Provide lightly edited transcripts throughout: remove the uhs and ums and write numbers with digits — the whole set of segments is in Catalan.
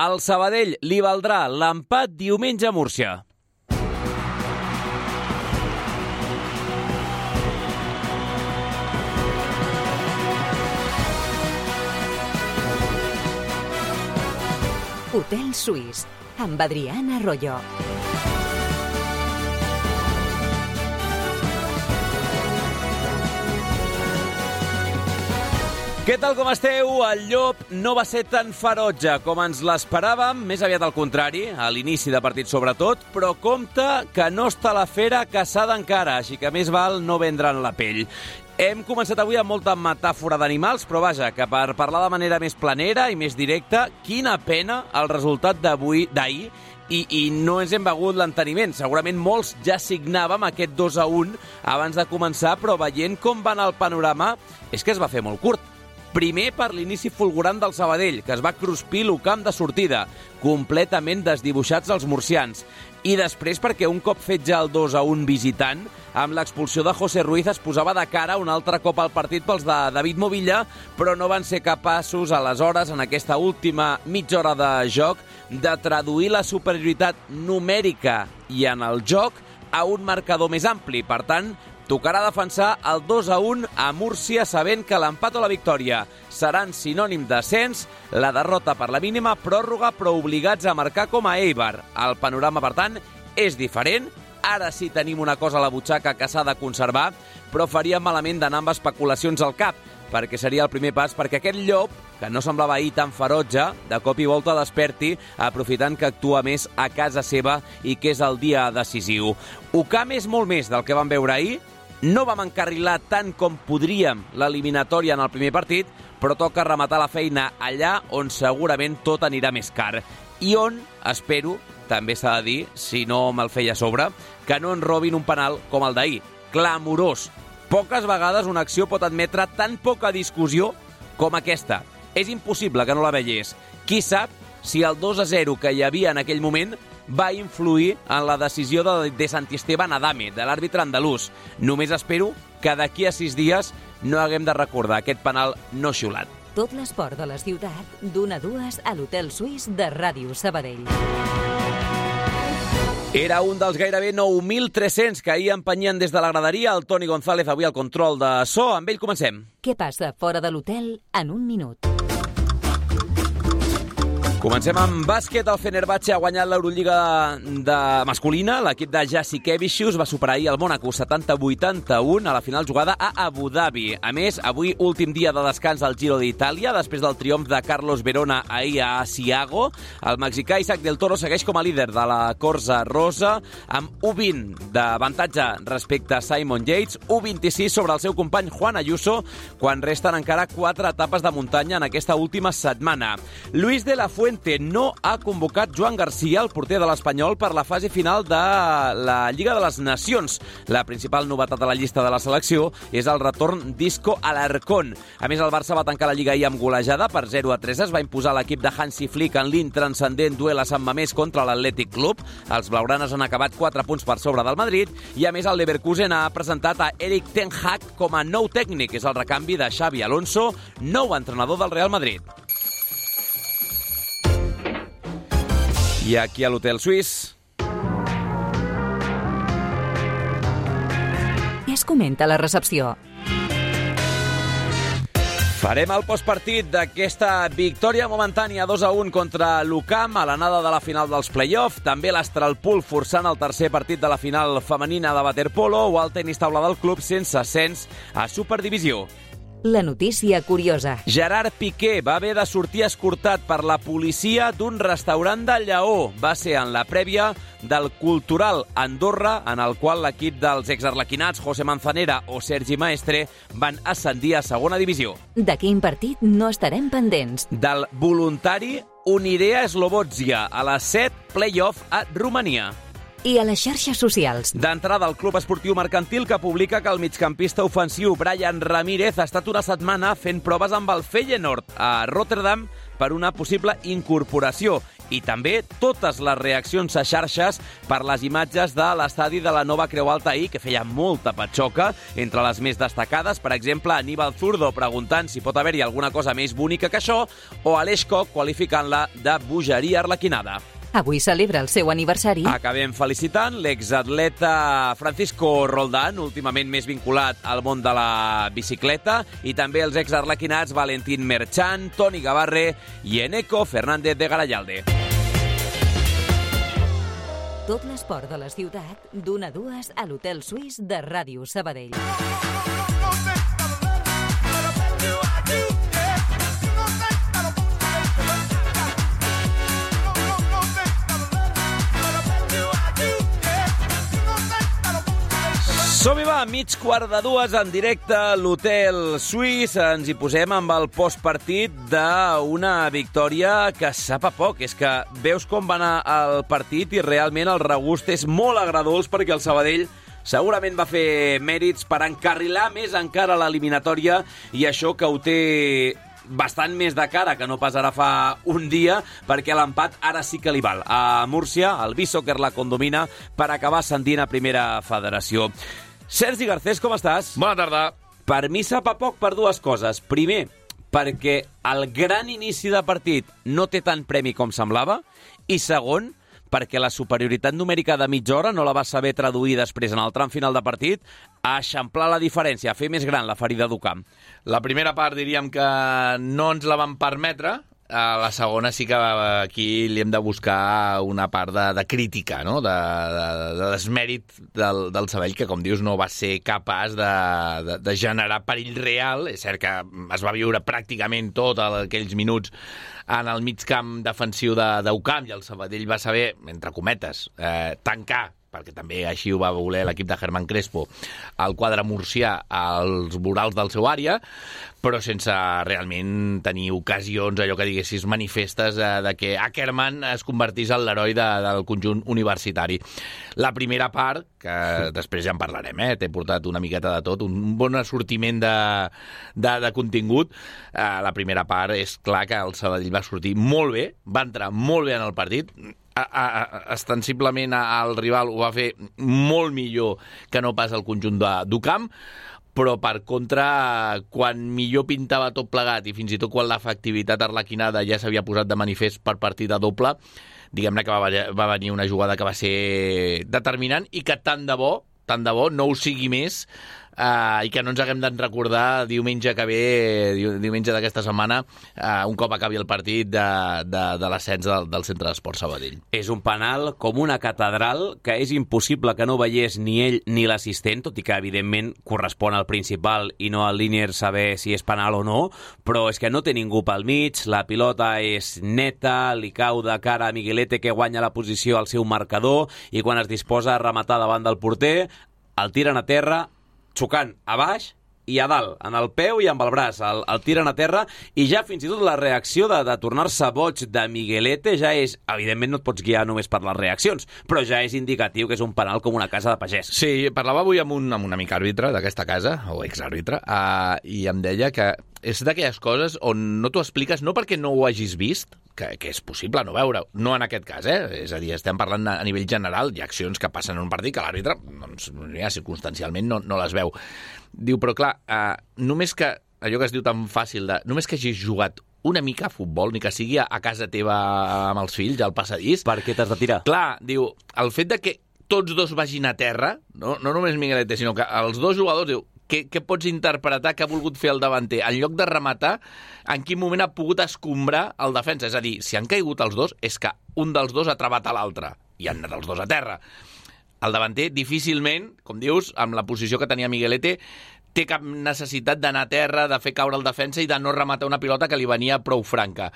Al Sabadell li valdrà l'empat diumenge a Múrcia. Hotel Suís, amb Adriana Arroyo. Què tal, com esteu? El llop no va ser tan ferotge com ens l'esperàvem, més aviat al contrari, a l'inici de partit sobretot, però compte que no està la fera caçada encara, així que més val no vendre'n la pell. Hem començat avui amb molta metàfora d'animals, però vaja, que per parlar de manera més planera i més directa, quina pena el resultat d'ahir, i no ens hem begut l'enteniment. Segurament molts ja signàvem aquest 2-1 abans de començar, però veient com va anar el panorama, és que es va fer molt curt. Primer per l'inici fulgurant del Sabadell, que es va cruspir l'Ucamp de sortida, completament desdibuixats els murcians. I després perquè un cop fet ja el 2-1 visitant, amb l'expulsió de José Ruiz es posava de cara un altre cop al partit pels de David Movilla, però no van ser capaços aleshores, en aquesta última mitja hora de joc, de traduir la superioritat numèrica i en el joc a un marcador més ampli. Per tant, tocarà defensar el 2-1 a Múrcia, sabent que l'empat o la victòria seran sinònim d'ascens, la derrota per la mínima pròrroga, però obligats a marcar com a Eibar. El panorama, per tant, és diferent. Ara sí tenim una cosa a la butxaca que s'ha de conservar, però faríem malament d'anar amb especulacions al cap, perquè seria el primer pas perquè aquest llop, que no semblava ahir tan ferotge, de cop i volta desperti, aprofitant que actua més a casa seva i que és el dia decisiu. Ucamp és molt més del que vam veure ahir. No vam encarrilar tant com podríem l'eliminatòria en el primer partit, però toca rematar la feina allà on segurament tot anirà més car. I on, espero, també s'ha de dir, si no me'l feia a sobre, que no ens robin un penal com el d'ahir. Clamorós. Poques vegades una acció pot admetre tan poca discussió com aquesta. És impossible que no la veiés. Qui sap si el 2-0 que hi havia en aquell moment va influir en la decisió de Santisteban Adame, de l'àrbitre andalús. Només espero que d'aquí a 6 dies no haguem de recordar aquest penal no xiulat. Tot l'esport de la ciutat, d'1 a 2 a l'Hotel Suís de Ràdio Sabadell. Era un dels gairebé 9.300 que ahir empenyien des de la graderia. El Toni González avui al control de so. Amb ell comencem. Què passa fora de l'hotel en un minut? Comencem amb bàsquet. El Fenerbahçe ha guanyat l'Eurolliga de masculina. L'equip de Jasikevičius va superar ahir el Mónaco 70-81 a la final jugada a Abu Dhabi. A més, avui últim dia de descans al Giro d'Itàlia, després del triomf de Carlos Verona ahir a Asiago. El mexicà Isaac del Toro segueix com a líder de la corsa rosa, amb 1-20 d'avantatge respecte a Simon Yates, 1-26 sobre el seu company Juan Ayuso, quan resten encara 4 etapes de muntanya en aquesta última setmana. Luis de la Fuente no ha convocat Joan García, el porter de l'Espanyol, per la fase final de la Lliga de les Nacions. La principal novetat de la llista de la selecció és el retorn d'Isco Alarcón. A més, el Barça va tancar la Lliga ahir amb golejada per 0-3. Es va imposar l'equip de Hansi Flick en l'intranscendent duel a Sant Mamés contra l'Atlètic Club. Els blaugranes han acabat 4 punts per sobre del Madrid i, a més, el Leverkusen ha presentat a Erik ten Hag com a nou tècnic. És el recanvi de Xabi Alonso, nou entrenador del Real Madrid. I aquí a l'Hotel Suís. Què es comenta a la recepció? Farem el postpartit d'aquesta victòria momentània 2-1 contra l'Ucamp a l'anada de la final dels play-off. També l'Astralpool forçant el tercer partit de la final femenina de waterpolo o el tenis taula del club sense ascens a Superdivisió. La notícia curiosa. Gerard Piqué va haver de sortir escortat per la policia d'un restaurant de Lleó. Va ser en la prèvia del Cultural Andorra, en el qual l'equip dels exarlequinats José Manzanera o Sergi Maestre van ascendir a segona divisió. De quin partit no estarem pendents? Del voluntari Unirea Slobozia a les 7 play-off a Romania. I a les xarxes socials. D'entrada, el Club Esportiu Mercantil, que publica que el migcampista ofensiu Brian Ramírez ha estat una setmana fent proves amb el Feyenoord a Rotterdam per una possible incorporació. i també totes les reaccions a xarxes per les imatges de l'estadi de la Nova Creu Alta ahir, que feia molta patxoca. Entre les més destacades, per exemple, Aníbal Zurdo preguntant si pot haver-hi alguna cosa més bonica que això, o Aleix Koch qualificant-la de bogeria arlequinada. Avui celebra el seu aniversari. Acabem felicitant l'exatleta Francisco Roldán, últimament més vinculat al món de la bicicleta, i també els exarlequinats Valentín Merchan, Toni Gavarre i Eneco Fernández de Garayalde. Tot l'esport de la ciutat, d'1 a 2 a l'Hotel Suís de Ràdio Sabadell. Som-hi, va, 1:45 en directe a l'Hotel Suís. Ens hi posem amb el postpartit d'una victòria que sap a poc. És que veus com va anar el partit i realment el regust és molt agradolç, perquè el Sabadell segurament va fer mèrits per encarrilar més encara l'eliminatòria, i això que ho té bastant més de cara que no pas ara fa un dia, perquè l'empat ara sí que li val. A Múrcia, el B-Soccer la condomina per acabar ascendint a primera federació. Sergi Garcés, com estàs? Bona tarda. Per mi sap a poc per dues coses. Primer, perquè el gran inici de partit no té tant premi com semblava, i segon, perquè la superioritat numèrica de mitja hora no la va saber traduir després en el tram final de partit a eixamplar la diferència, a fer més gran la ferida d'Ucamp. La primera part diríem que no ens la van permetre. A la segona sí que aquí li hem de buscar una part de crítica, no? de desmèrit del Sabadell, que, com dius, no va ser capaç de generar perill real. És cert que es va viure pràcticament tot aquells minuts en el mig camp defensiu d'Ucamp, i el Sabadell va saber, entre cometes, tancar, perquè també així ho va voler l'equip de Germán Crespo, el quadre murcià als vorals del seu àrea, però sense realment tenir ocasions, allò que diguessis, manifestes de que Ackermann es convertís en l'heroi del conjunt universitari. La primera part, que després ja en parlarem, t'he portat una miqueta de tot, un bon assortiment de contingut. La primera part és clar que el Sabadell va sortir molt bé, va entrar molt bé en el partit, ostensiblement el rival ho va fer molt millor que no pas el conjunt d'Ucamp, però per contra, quan millor pintava tot plegat, i fins i tot quan l'efectivitat arlequinada ja s'havia posat de manifest per partida doble, diguem-ne que va venir una jugada que va ser determinant, i que tant de bo no ho sigui més, i que no ens haguem de recordar diumenge que ve, diumenge d'aquesta setmana, un cop acabi el partit de l'ascens del Centre d'Esport Sabadell. És un penal com una catedral, que és impossible que no veiés ni ell ni l'assistent, tot i que evidentment correspon al principal i no al línier saber si és penal o no, però és que no té ningú pel mig, la pilota és neta, li cau de cara a Miguelete, que guanya la posició al seu marcador, i quan es disposa a rematar davant del porter, el tiren a terra, xocant a baix i a dalt, en el peu i amb el braç, el tiren a terra, i ja fins i tot la reacció de tornar-se boig de Miguelete ja és, evidentment no et pots guiar només per les reaccions, però ja és indicatiu que és un penal com una casa de pagès. Sí, parlava avui amb un amic àrbitre d'aquesta casa, o exàrbitre, i em deia que és d'aquelles coses on no t'ho expliques, no perquè no ho hagis vist, que és possible no veure-ho, no en aquest cas, és a dir, estem parlant a nivell general, hi ha accions que passen en un partit que l'àrbitre, doncs, ja circumstancialment no les veu. Diu, però clar, només que, allò que es diu tan fàcil, només que hagis jugat una mica a futbol, ni que sigui a casa teva amb els fills, al passadís... Per què t'has de tirar? Clar, diu, el fet de que tots dos vagin a terra, no només Miguelete, sinó que els dos jugadors, diu, què pots interpretar que ha volgut fer el davanter? En lloc de rematar, en quin moment ha pogut escombrar el defensa? És a dir, si han caigut els dos, és que un dels dos ha trebat a l'altre, i han anat els dos a terra. El davanter, difícilment, com dius, amb la posició que tenia Miguelete, té cap necessitat d'anar a terra, de fer caure el defensa i de no rematar una pilota que li venia prou franca.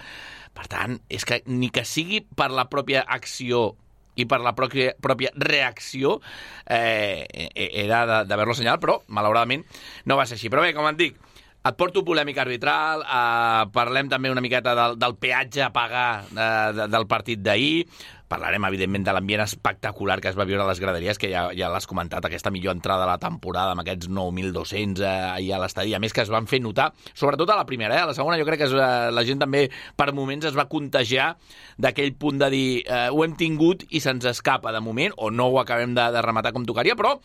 Per tant, és que ni que sigui per la pròpia acció i per la pròpia reacció era d'haver-lo assenyalat, però malauradament no va ser així. Però bé, com et dic, Et porto polèmica arbitral, parlem també una miqueta del peatge a pagar del partit d'ahir, parlarem, evidentment, de l'ambient espectacular que es va viure a les graderies, que ja l'has comentat, aquesta millor entrada de la temporada amb aquests 9.200 ahir a l'estadi, a més que es van fer notar, sobretot a la primera, a la segona jo crec que la gent també per moments es va contagiar d'aquell punt de dir ho hem tingut i se'ns escapa de moment, o no ho acabem de rematar com tocaria, però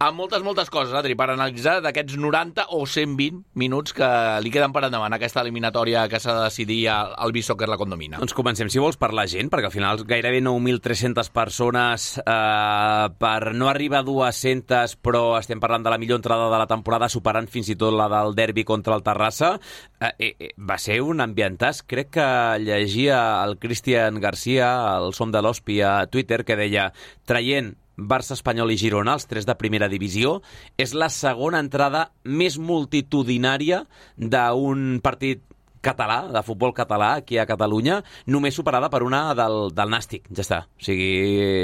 amb moltes coses, Adri, per analitzar d'aquests 90 o 120 minuts que li queden per endavant aquesta eliminatòria que s'ha de decidir al Beach Soccer La Condomina. Doncs comencem, si vols, per la gent, perquè al final gairebé 9.300 persones per no arribar a 200, però estem parlant de la millor entrada de la temporada, superant fins i tot la del derbi contra el Terrassa. Va ser un ambientàs. Crec que llegia el Cristian Garcia, el Som de l'Hospi, a Twitter, que deia, traient Barça, Espanyol i Girona, els 3 de primera divisió, és la segona entrada més multitudinària d'un partit català, de futbol català, aquí a Catalunya, només superada per una del Nàstic, ja està. O sigui,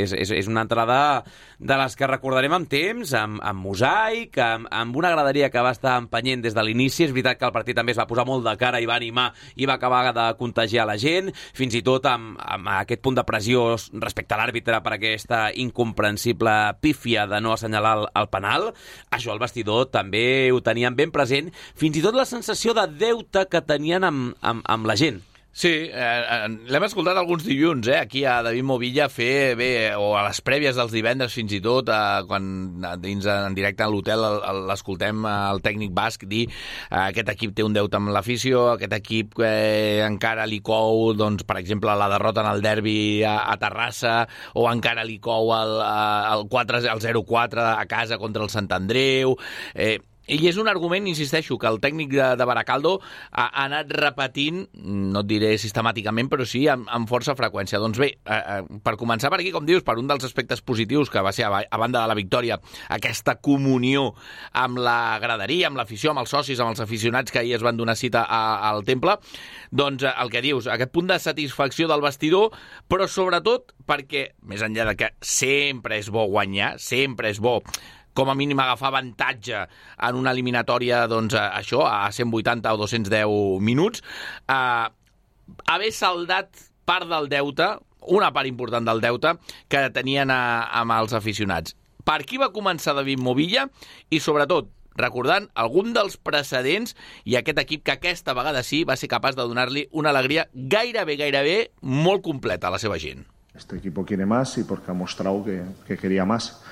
és una entrada de les que recordarem amb temps, amb mosaic, amb una graderia que va estar empenyent des de l'inici. És veritat que el partit també es va posar molt de cara i va animar i va acabar de contagiar la gent, fins i tot amb aquest punt de pressió respecte a l'àrbitre per aquesta incomprensible pífia de no assenyalar el penal. Això el vestidor també ho tenien ben present, fins i tot la sensació de deute que tenien amb la gent. Sí, l'hem escoltat alguns dilluns, aquí a David Movilla fer o a les prèvies dels divendres fins i tot, quan dins en directe a l'hotel l'escoltem el tècnic basc dir aquest equip té un deute amb l'afició, aquest equip encara li cou, doncs, per exemple, la derrota en el derbi a Terrassa, o encara li cou el 0-4 a casa contra el Sant Andreu. I és un argument, insisteixo, que el tècnic de Baracaldo ha anat repetint, no et diré sistemàticament, però sí amb força freqüència. Doncs bé, per començar per aquí, com dius, per un dels aspectes positius que va ser, a banda de la victòria, aquesta comunió amb la graderia, amb l'afició, amb els socis, amb els aficionats que ahir es van donar cita al temple, doncs el que dius, aquest punt de satisfacció del vestidor, però sobretot perquè, més enllà de que sempre és bo guanyar, sempre és bo com a mínim agafar avantatge en una eliminatòria, doncs, això, a 180 o 210 minuts, haver saldat part del deute, una part important del deute, que tenien amb els aficionats. Per aquí va començar David Movilla i, sobretot, recordant algun dels precedents i aquest equip que aquesta vegada sí va ser capaç de donar-li una alegria gairebé molt completa a la seva gent. Este equipo quiere más y porque ha mostrado que quería más.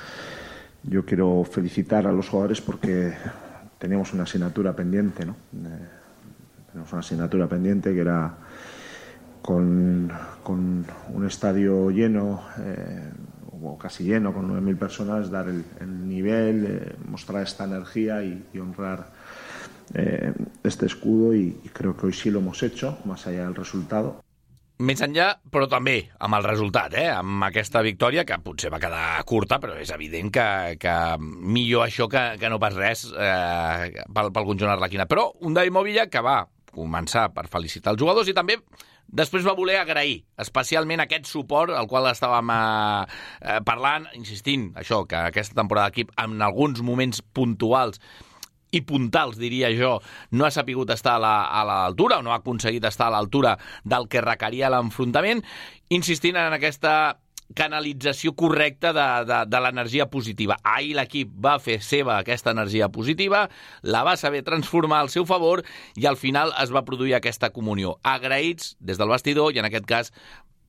Yo quiero felicitar a los jugadores porque teníamos una asignatura pendiente, ¿no? Tenemos una asignatura pendiente que era con un estadio lleno, o casi lleno, con 9.000 personas, dar el nivel, mostrar esta energía y honrar este escudo y creo que hoy sí lo hemos hecho, más allá del resultado. Més enllà, però també amb el resultat, amb aquesta victòria, que potser va quedar curta, però és evident que millor això que no pas res pel conjunt arlequinat. Però un David Movilla que va començar per felicitar els jugadors i també després va voler agrair especialment aquest suport al qual estàvem parlant, insistint, això, que aquesta temporada d'equip en alguns moments puntuals i puntals, diria jo, no ha sapigut estar a l'altura o no ha aconseguit estar a l'altura del que requeria l'enfrontament, insistint en aquesta canalització correcta de l'energia positiva. Ahir l'equip va fer seva aquesta energia positiva, la va saber transformar al seu favor i al final es va produir aquesta comunió. Agraïts des del vestidor i en aquest cas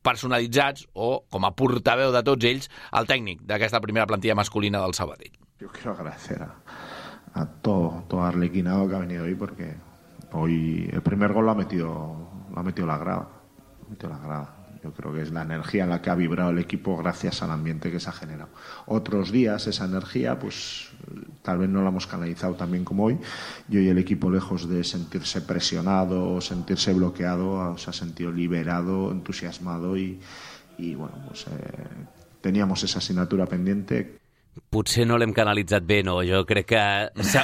personalitzats o com a portaveu de tots ells el tècnic d'aquesta primera plantilla masculina del Sabadell. Jo quiero agradecer a todo arlequinado que ha venido hoy porque hoy el primer gol lo ha metido la grada. Yo creo que es la energía en la que ha vibrado el equipo gracias al ambiente que se ha generado. Otros días esa energía pues tal vez no la hemos canalizado tan bien como hoy y hoy el equipo, lejos de sentirse presionado, sentirse bloqueado, se ha sentido liberado, entusiasmado y bueno, pues teníamos esa asignatura pendiente. Potser no l'hem canalitzat bé, no? Jo crec que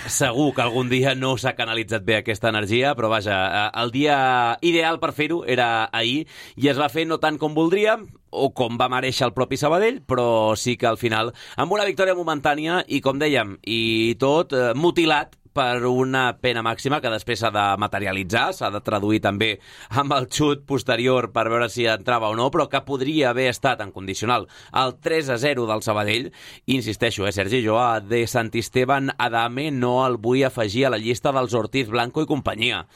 segur que algun dia no s'ha canalitzat bé aquesta energia, però vaja, el dia ideal per fer-ho era ahir i es va fer no tant com voldríem o com va mereixer el propi Sabadell, però sí que al final, amb una victòria momentània i, com dèiem, i tot mutilat per una pena màxima que després s'ha de materialitzar, s'ha de traduir també amb el xut posterior per veure si entrava o no, però que podria haver estat en condicional el 3-0 del Sabadell. Insisteixo, Sergi, jo a De Santisteban Adame no el vull afegir a la llista dels Ortiz Blanco i companyia.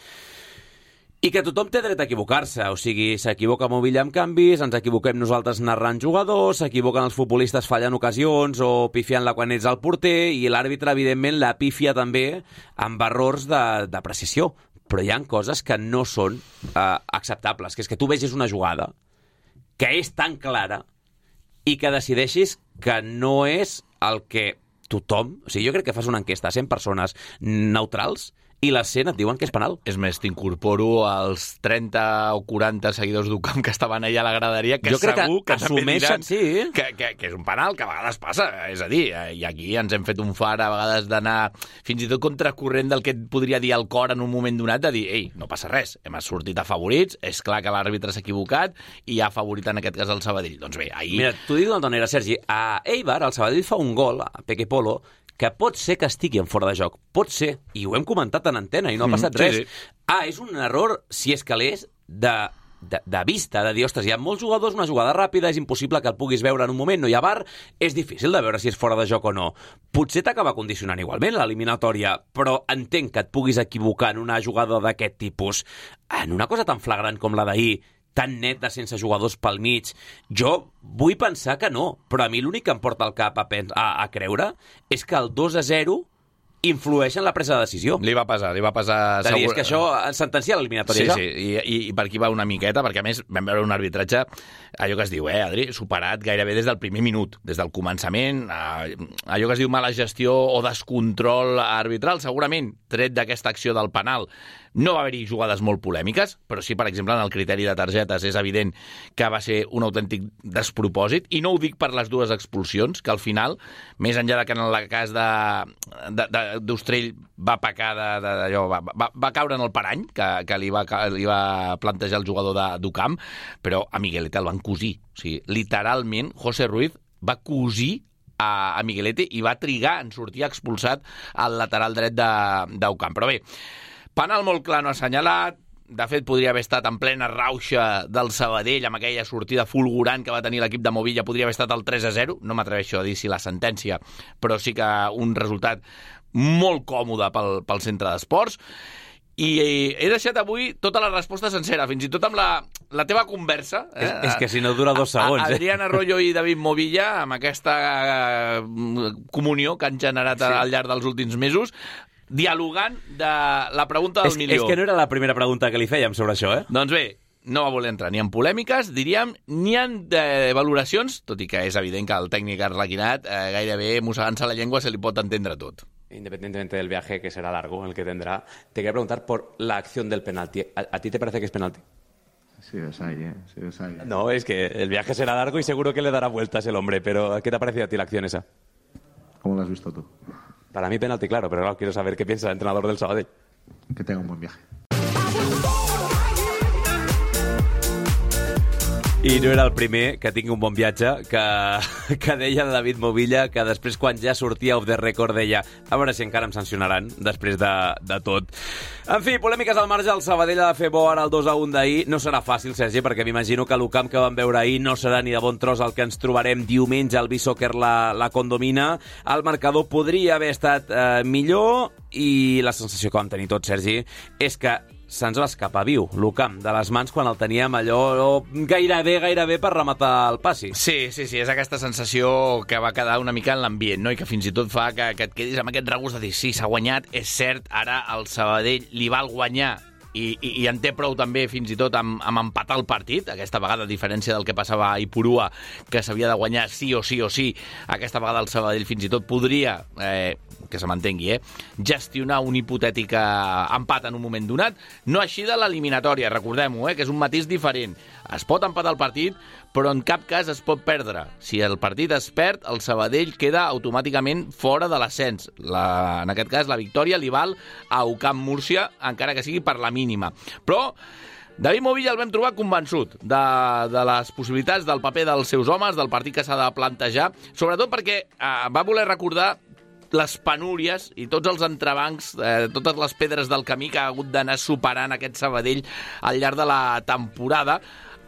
I que tothom té dret a equivocar-se, o sigui, s'equivoca Movilla amb canvis, ens equivoquem nosaltres narrant jugadors, s'equivoquen els futbolistes fallant ocasions o pifiant-la quan ets al porter, i l'àrbitre, evidentment, la pifia també amb errors de precisió. Però hi ha coses que no són acceptables, que és que tu vegis una jugada que és tan clara i que decideixis que no és el que tothom... O sigui, jo crec que fas una enquesta a 100 persones neutrals i les 100 et diuen que és penal. És més, t'incorporo als 30 o 40 seguidors d'Ucamp que estaven allà a la graderia, que segur que també diran que és un penal, que a vegades passa. És a dir, i aquí ens hem fet un far a vegades d'anar fins i tot contracorrent del que et podria dir el cor en un moment donat, de dir, ei, no passa res, hem sortit afavorits, és clar que l'àrbitre s'ha equivocat i ha favorit en aquest cas el Sabadell. Doncs bé, ahir... Mira, t'ho dic d'una manera, Sergi, a Eibar, el Sabadell fa un gol, a Peque Polo, que pot ser que estigui en fora de joc. Pot ser, i ho hem comentat en antena i no ha passat res. Sí. És un error, si és que l'és, de vista, de dir, ostres, hi ha molts jugadors, una jugada ràpida, és impossible que el puguis veure en un moment, no hi ha VAR, és difícil de veure si és fora de joc o no. Potser t'acaba condicionant igualment l'eliminatòria, però entenc que et puguis equivocar en una jugada d'aquest tipus, en una cosa tan flagrant com la d'ahir, tan net de sense jugadors pel mig. Jo vull pensar que no, però a mi l'únic que em porta al cap a creure és que el 2-0 influeix en la presa de decisió. Li va pesar. És que això sentencia l'eliminatòria. Sí, i per aquí va una miqueta, perquè a més vam veure un arbitratge, allò que es diu, Adri, superat gairebé des del primer minut, des del començament, allò que es diu mala gestió o descontrol arbitral, segurament, tret d'aquesta acció del penal. No va haver-hi jugades molt polèmiques, però sí, per exemple, en el criteri de targetes és evident que va ser un autèntic despropòsit, i no ho dic per les dues expulsions, que al final, més enllà de que en el cas d'Ostrell va pecar va caure en el parany que li va plantejar el jugador d'Ucamp, però a Miguelete el van cosir. O sigui, literalment, José Ruiz va cosir a Miguelete i va trigar en sortir expulsat al lateral dret d'Ucamp. Però bé, penal molt clar no assenyalat. De fet, podria haver estat en plena rauxa del Sabadell, amb aquella sortida fulgurant que va tenir l'equip de Movilla, podria haver estat el 3-0. No m'atreveixo a dir si la sentència, però sí que un resultat molt còmode pel centre d'esports. I he deixat avui tota la resposta sencera, fins i tot amb la teva conversa. És que si no dura 2 segons. Adrián Arroyo i David Movilla, amb aquesta comunió que han generat al llarg dels últims mesos, dialogant de la pregunta del milió. És que no era la primera pregunta que li fèiem sobre això, Doncs bé, no va voler entrar ni en polèmiques, diríem, ni en valoracions, tot i que és evident que el tècnic arlequinat, gairebé mossegant-se la llengua, se li pot entendre tot. Independientemente del viaje, que será largo, el que tendrá, te quería preguntar por la acción del penalti. ¿A ti te parece que es penalti? Sí, es ahí, sí, es ahí. No, es que el viaje será largo y seguro que le dará vueltas el hombre, pero ¿qué te ha parecido a ti la acción esa? ¿Cómo lo has visto tú? Para mí penalti, claro, pero claro, quiero saber qué piensa el entrenador del Sabadell. Que tenga un buen viaje. I no era el primer que tingui un bon viatge, que deia el David Movilla, que després, quan ja sortia off the record, deia a veure si encara em sancionaran després de tot. En fi, polèmiques al marge, el Sabadell ha de fer bo ara el 2-1 d'ahir. No serà fàcil, Sergi, perquè m'imagino que l'Ucamp que vam veure ahir no serà ni de bon tros el que ens trobarem diumenge al B-Soccer la condomina. El marcador podria haver estat millor, i la sensació que vam tenir tots, Sergi, és que se'ns va escapar viu l'Ucamp de les mans quan el teníem allò gairebé per rematar el passi. Sí, és aquesta sensació que va quedar una mica en l'ambient, no? I que fins i tot fa que et quedis amb aquest regust de dir sí, s'ha guanyat, és cert, ara el Sabadell li val guanyar i en té prou també fins i tot amb empatar el partit, aquesta vegada a diferència del que passava a Ipurua, que s'havia de guanyar sí o sí, aquesta vegada el Sabadell fins i tot podria, que se m'entengui, gestionar un hipotètic empat en un moment donat, no així de l'eliminatòria, recordem-ho, que és un matís diferent. Es pot empatar el partit, però en cap cas es pot perdre. Si el partit es perd, el Sabadell queda automàticament fora de l'ascens. En aquest cas, la victòria li val a Ucamp Múrcia, encara que sigui per la mínima. Però David Movilla el vam trobar convençut de les possibilitats del paper dels seus homes, del partit que s'ha de plantejar, sobretot perquè va voler recordar les penúries i tots els entrebancs, totes les pedres del camí que ha hagut d'anar superant aquest Sabadell al llarg de la temporada.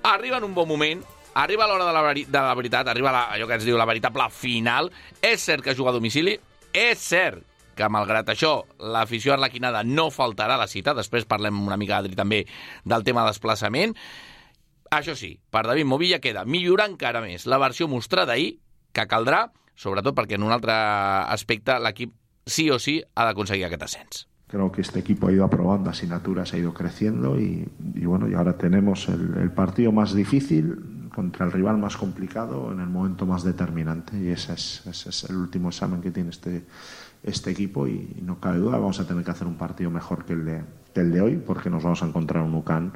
Arriba en un bon moment, arriba a l'hora de la veritat, arriba allò que ens diu la veritable final. És cert que juga a domicili, és cert que, malgrat això, l'afició arlequinada no faltarà a la cita. Després parlem una mica, Adri, també del tema de desplaçament. Això sí, per David Movilla queda millorar encara més la versió mostrada ahir, que caldrà, sobretot perquè en un altre aspecte l'equip sí o sí ha d'aconseguir aquest ascens. Creo que este equipo ha ido aprobando asignaturas, ha ido creciendo y bueno, y ahora tenemos el partido más difícil contra el rival más complicado en el momento más determinante, y ese es el último examen que tiene este equipo, y no cabe duda, vamos a tener que hacer un partido mejor que el de hoy, porque nos vamos a encontrar un UCAN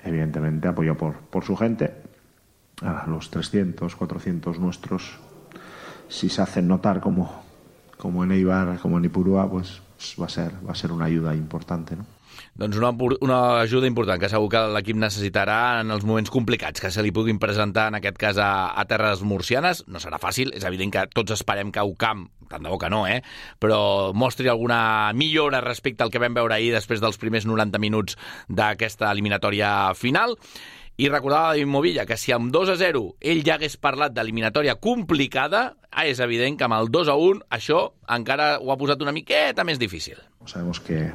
evidentemente apoyado por su gente. Los 300, 400 nuestros, si se hacen notar como en Eibar, como en Ipurúa, pues va a ser una ayuda importante, ¿no? Doncs una ajuda important que segur que l'equip necessitarà en els moments complicats que se li puguin presentar, en aquest cas a terres murcianes. No serà fàcil, és evident que tots esperem que UCAM, tant de bo que no, però mostri alguna millora respecte al que vam veure ahir després dels primers 90 minuts d'aquesta eliminatòria final. I recordava David Movilla que si amb 2-0 ell ja hagués parlat d'eliminatòria complicada, és evident que amb el 2-1 això encara ho ha posat una miqueta més difícil. Sabemos que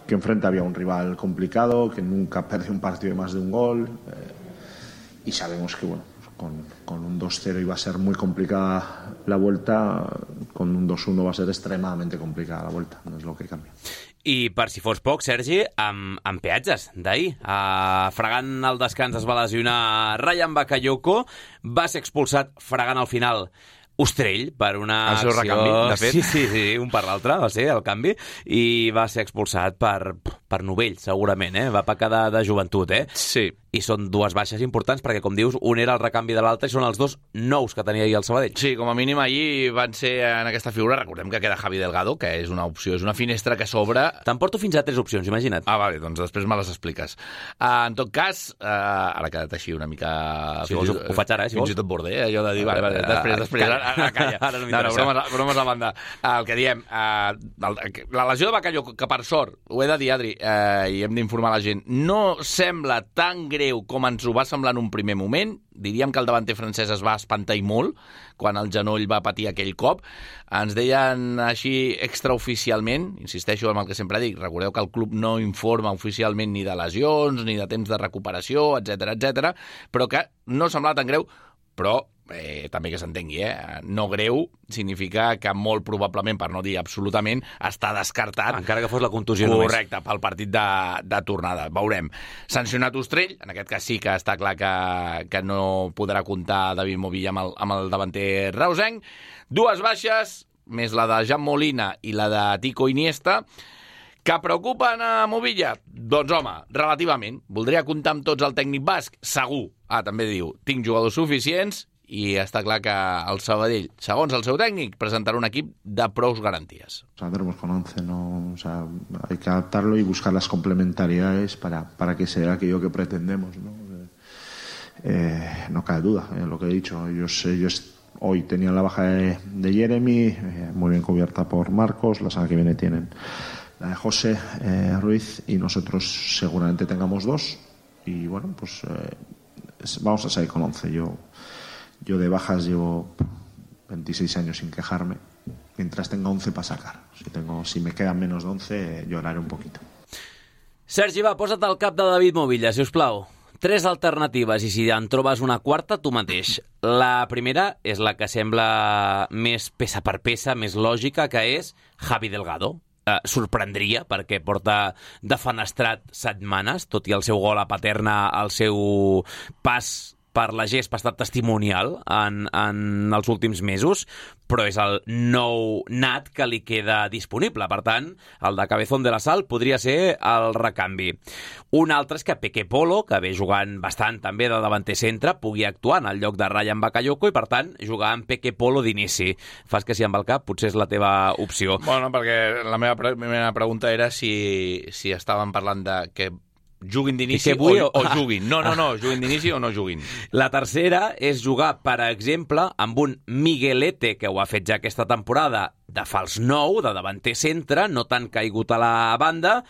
enfrente había un rival complicado, que nunca perdió un partido de más de un gol, y sabemos que bueno, con un 2-0 iba a ser muy complicada la vuelta, con un 2-1 va a ser extremadamente complicada la vuelta, no es lo que cambia. I per si fos poc, Sergi, amb peatges d'ahir. Fregant el descans es va lesionar Ryan Bakayoko, va ser expulsat fregant al final Ostrell per una acció... El seu recanvi, de fet. Sí, un per l'altre va ser el canvi, i va ser expulsat per novell, segurament, va pecar de joventut, Sí. I són dues baixes importants, perquè, com dius, un era el recanvi de l'altre i són els dos nous que tenia ahir el Sabadell. Sí, com a mínim ahir van ser en aquesta figura. Recordem que queda Javi Delgado, que és una opció, és una finestra que s'obre. Te'n porto fins a 3 opcions, imagina't. Vale, doncs després me les expliques. En tot cas, ara ha quedat així una mica... Si vols, ho faig ara, si vols. Fins i tot borde, allò de dir, vale, després, calla. Ara no m'interessa. Bromes a banda. El que diem, la lesió de Bakayoko, que per sort, ho he de dir, Adri, i hem d'informar la gent, no sembla tan greu com ens ho va semblar en un primer moment. Diríem que el davanter francès es va espantar i molt quan el genoll va patir aquell cop. Ens deien així extraoficialment, insisteixo en el que sempre dic, recordeu que el club no informa oficialment ni de lesions, ni de temps de recuperació, etc, però que no semblava tan greu, però també que s'entengui, no greu significa que molt probablement, per no dir absolutament, està descartat. Encara que fos la contusió només. Correcte, pel partit de tornada. Veurem. Sancionat Ostrell, en aquest cas sí que està clar que no podrà comptar David Movilla amb el davanter reusenc. Dues baixes, més la de Jan Molina i la de Tico Iniesta, que preocupen a Movilla? Doncs, home, relativament. Voldria comptar amb tots el tècnic basc? Segur. També diu, tinc jugadors suficients, i està clar que el Sabadell, segons el seu tècnic, presentarà un equip de prous garanties. Saldremos con 11, ¿no? O sea, hay que adaptarlo y buscar las complementariedades para que sea aquello que pretendemos, ¿no? No cabe duda, lo que he dicho. Ellos hoy tenían la baja de Jeremy, muy bien cubierta por Marcos, la semana que viene tienen la de José Ruiz, y nosotros seguramente tengamos 2, y bueno, pues vamos a salir con 11. Yo de bajas llevo 26 años sin quejarme. Mientras tenga 11 para sacar. Si me quedan menos de 11, lloraré un poquito. Sergi, va, posa't al cap de David Movilla, si us plau. 3 alternatives, i si en trobes una quarta, tu mateix. La primera és la que sembla més peça per peça, més lògica, que és Javi Delgado. Sorprendria, perquè porta defenestrat setmanes, tot i el seu gol a Paterna, el seu pas per la gespa ha estat testimonial en els últims mesos, però és el nou nat que li queda disponible. Per tant, el de Cabezón de la Sal podria ser el recanvi. Un altre és que Peque Polo, que ve jugant bastant també de davanter centre, pugui actuar en el lloc de Ryan Bakayoko i, per tant, jugar amb Peque Polo d'inici. Fas que sí amb el cap, potser és la teva opció. Bueno, perquè la meva primera pregunta era si estàvem parlant de que juguin d'inici o juguin. No, juguin d'inici o no juguin. La tercera és jugar, per exemple, amb un Miguelete, que ho ha fet ja aquesta temporada, de fals 9, de davanter centre, no tan caigut a la banda,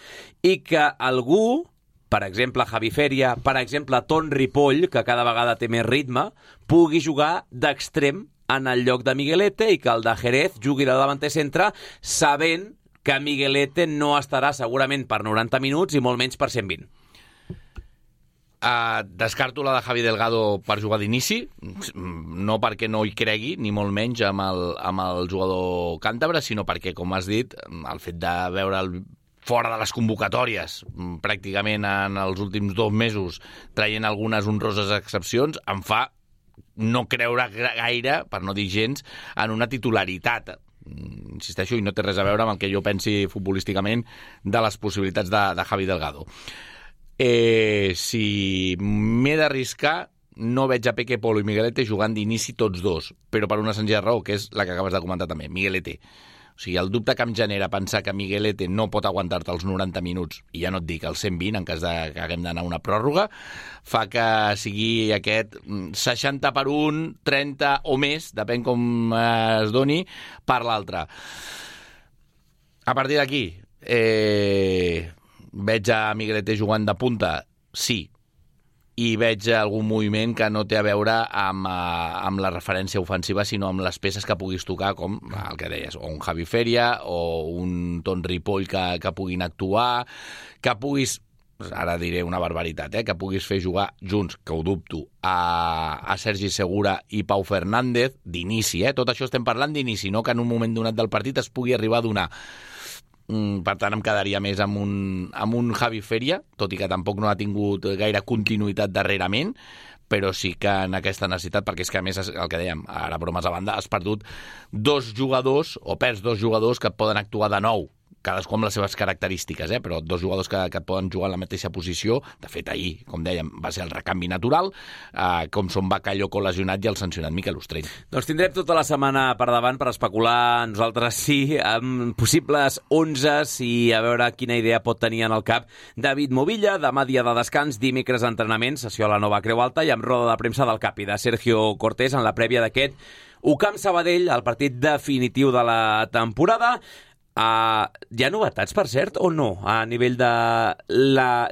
i que algú, per exemple Javi Feria, per exemple Ton Ripoll, que cada vegada té més ritme, pugui jugar d'extrem en el lloc de Miguelete i que el de Jerez jugui de davanter centre, sabent que Miguelete no estarà segurament per 90 minuts i molt menys per 120. Descarto la de Javi Delgado per jugar d'inici, no perquè no hi cregui, ni molt menys amb el jugador càntabre, sinó perquè, com has dit, el fet de veure'l fora de les convocatòries, pràcticament en els últims 2 mesos, traient algunes honroses excepcions, em fa no creure gaire, per no dir gens, en una titularitat. Insisteixo, i no té res a veure amb el que jo pensi futbolísticament de les possibilitats de Javi Delgado. Si m'he d'arriscar, no veig a Peque Polo i Miguelete jugant d'inici tots dos, però per una senzilla raó, que és la que acabes de comentar també, Miguelete. O sigui, el dubte que em genera pensar que Miguelete no pot aguantar-te els 90 minuts, i ja no et dic els 120 en cas que haguem d'anar a una pròrroga, fa que sigui aquest 60 per 1, 30 o més, depèn com es doni, per l'altre. A partir d'aquí, veig a Miguelete jugant de punta? Sí. I veig algun moviment que no té a veure amb la referència ofensiva, sinó amb les peces que puguis tocar, com el que deies, o un Javi Feria, o un Ton Ripoll que puguin actuar, que puguis, ara diré una barbaritat, que puguis fer jugar junts, que ho dubto, a Sergi Segura i Pau Fernández, d'inici, tot això estem parlant d'inici, no que en un moment donat del partit es pugui arribar a donar. Per tant, em quedaria més amb un Javi Feria, tot i que tampoc no ha tingut gaire continuïtat darrerament, però sí que en aquesta necessitat, perquè és que a més, el que dèiem, ara bromes a banda, has perdut 2 jugadors, o perds 2 jugadors que et poden actuar de nou, cadascú amb les seves característiques, però 2 jugadors que et poden jugar en la mateixa posició. De fet, ahir, com dèiem, va ser el recanvi natural, com són Bakayoko lesionat i el sancionat Mikel Ostrell. Doncs tindrem tota la setmana per davant per especular nosaltres sí, amb possibles 11 i a veure quina idea pot tenir en el cap David Movilla. Demà dia de descans, dimecres entrenament, sessió a la Nova Creu Alta i amb roda de premsa del Capi de Sergio Cortés en la prèvia d'aquest UCAM Sabadell, el partit definitiu de la temporada. Hi ha novetats, per cert, o no, a nivell de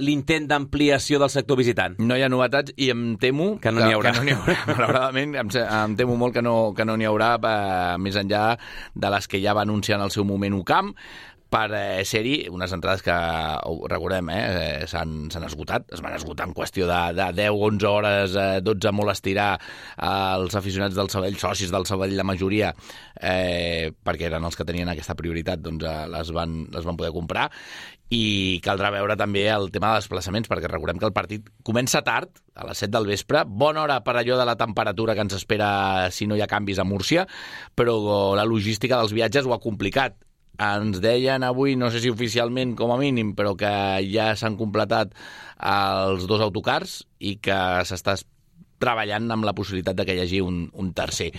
l'intent d'ampliació del sector visitant? No hi ha novetats i em temo que no n'hi haurà. Malauradament, em temo molt que no n'hi haurà, més enllà de les que ja va anunciar en el seu moment UCAM, per ser-hi unes entrades que, recordem, s'han esgotat. Es van esgotar en qüestió de 10, 11 hores, 12 molt estirar els aficionats del Sabadell, socis del Sabadell, la majoria, perquè eren els que tenien aquesta prioritat, doncs les van poder comprar. I caldrà veure també el tema de desplaçaments, perquè recordem que el partit comença tard, a les 7 del vespre, bona hora per allò de la temperatura que ens espera si no hi ha canvis a Múrcia, però la logística dels viatges ho ha complicat. Ens deien avui, no sé si oficialment com a mínim, però que ja s'han completat els 2 autocars i que s'està treballant amb la possibilitat de que hi hagi un tercer.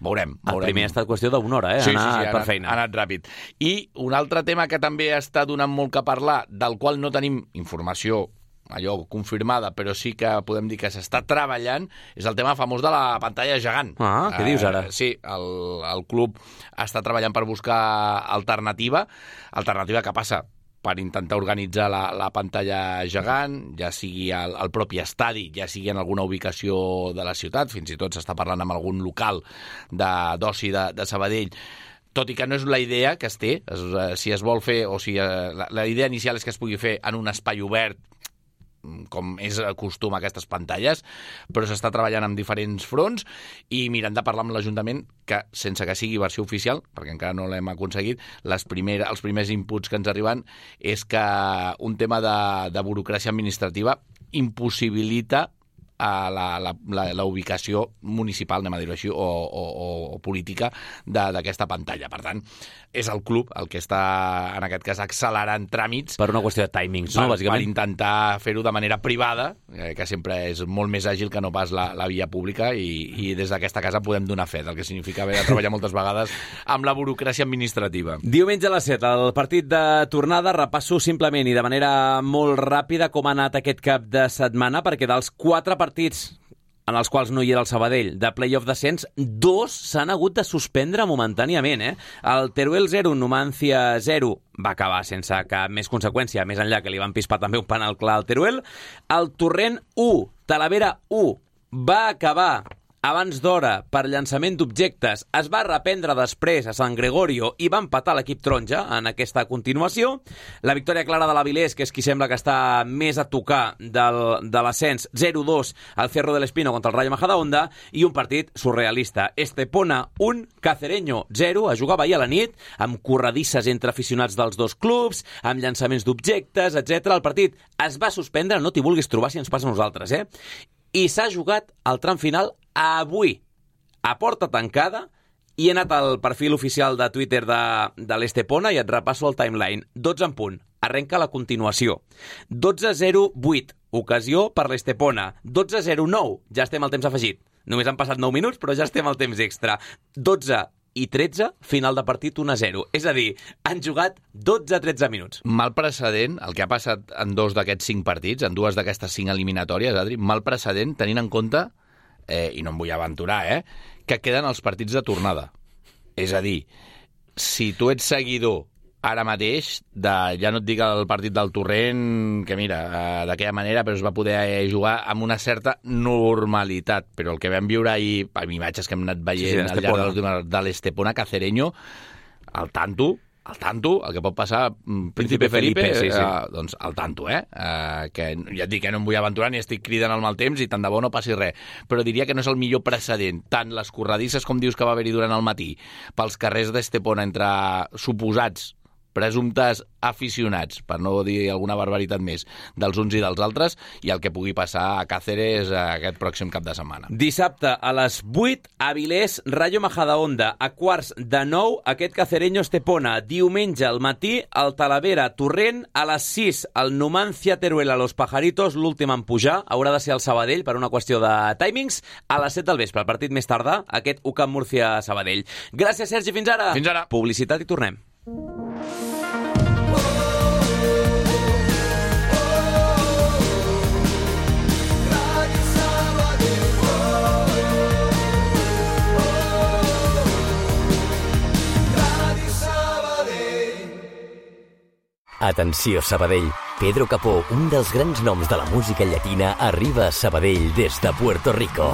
Veurem. El primer ha estat qüestió d'una hora, Sí, per feina. Ha anat ràpid. I un altre tema que també està donant molt que parlar, del qual no tenim informació allò confirmada, però sí que podem dir que s'està treballant, és el tema famós de la pantalla gegant. Què dius ara? Sí, el club està treballant per buscar alternativa que passa per intentar organitzar la pantalla gegant, ja sigui al propi estadi, ja sigui en alguna ubicació de la ciutat, fins i tot s'està parlant amb algun local d'oci de Sabadell, tot i que no és la idea que es té, si es vol fer, o si la idea inicial és que es pugui fer en un espai obert, com és costum a aquestes pantalles, però s'està treballant en diferents fronts i mirant de parlar amb l'Ajuntament que, sense que sigui versió oficial, perquè encara no l'hem aconseguit, els primers inputs que ens arriben és que un tema de burocràcia administrativa impossibilita la ubicació municipal, anem a dir-ho així, o política d'aquesta pantalla. Per tant, és el club el que està, en aquest cas, accelerant tràmits Per una qüestió de timings, no, per bàsicament? intentar fer-ho de manera privada, que sempre és molt més àgil que no pas la via pública, i des d'aquesta casa podem donar fe del que significa haver de treballar moltes vegades amb la burocràcia administrativa. Diumenge a les 7, el partit de tornada. Repasso simplement i de manera molt ràpida com ha anat aquest cap de setmana, perquè dels 4 partits en els quals no hi era el Sabadell, de play-off descens, 2 s'han hagut de suspendre momentàniament. El Teruel 0, Numancia 0, va acabar sense cap més conseqüència, més enllà que li van pispar també un penal clar al Teruel. El Torrent 1, Talavera 1, va acabar abans d'hora per llançament d'objectes, es va reprendre després a Sant Gregorio i va empatar l'equip taronja en aquesta continuació. La victòria clara de l'Avilés, que és qui sembla que està més a tocar de l'ascens, 0-2 al Cerro del Espino contra el Rayo Majadahonda, i un partit surrealista. Estepona 1, Cacereño 0, a jugar ahir a la nit, amb corredisses entre aficionats dels dos clubs, amb llançaments d'objectes, etc. El partit es va suspendre, no t'hi vulguis trobar si ens passa a nosaltres, i s'ha jugat al tram final avui, a porta tancada, i he anat al perfil oficial de Twitter de l'Estepona i et repasso el timeline. 12 en punt. Arrenca la continuació. 12-0-8. Ocasió per l'Estepona. 12-0-9. Ja estem al temps afegit. Només han passat 9 minuts, però ja estem al temps extra. 12 i 13, final de partit 1-0. És a dir, han jugat 12-13 minuts. Mal precedent, el que ha passat en 2 d'aquests 5 partits, en 2 d'aquestes 5 eliminatòries, Adri, mal precedent tenint en compte, i no em vull aventurar, que queden els partits de tornada. És a dir, si tu ets seguidor ara mateix, ja no et dic el partit del Torrent, que mira, d'aquella manera, però es va poder jugar amb una certa normalitat, però el que vam viure ahir, amb imatges que hem anat veient al llarg de l'Estepona Cacereño, al tanto, el que pot passar Príncipe Felipe, sí. Doncs al tanto, que ja et dic que no em vull aventurar ni estic cridant al mal temps i tant de bo no passi res, però diria que no és el millor precedent, tant les corredisses com dius que va haver-hi durant el matí pels carrers d'Estepona entre suposats presumptes aficionats, per no dir alguna barbaritat més, dels uns i dels altres, i el que pugui passar a Càceres aquest pròxim cap de setmana. Dissabte a les 8, Avilés, Rayo Majadahonda. A quarts de 9, aquest Cacereño Estepona. Diumenge al matí, el Talavera Torrent. A les 6, el Numancia Teruel a Los Pajaritos, l'últim en pujar. Haurà de ser el Sabadell per una qüestió de timings. A les 7 del vespre, el partit més tardà, aquest UCAM Murcia Sabadell. Gràcies, Sergi, fins ara. Fins ara. Publicitat i tornem. Atenció, Sabadell. Pedro Capó, un dels grans noms de la música llatina, arriba a Sabadell des de Puerto Rico.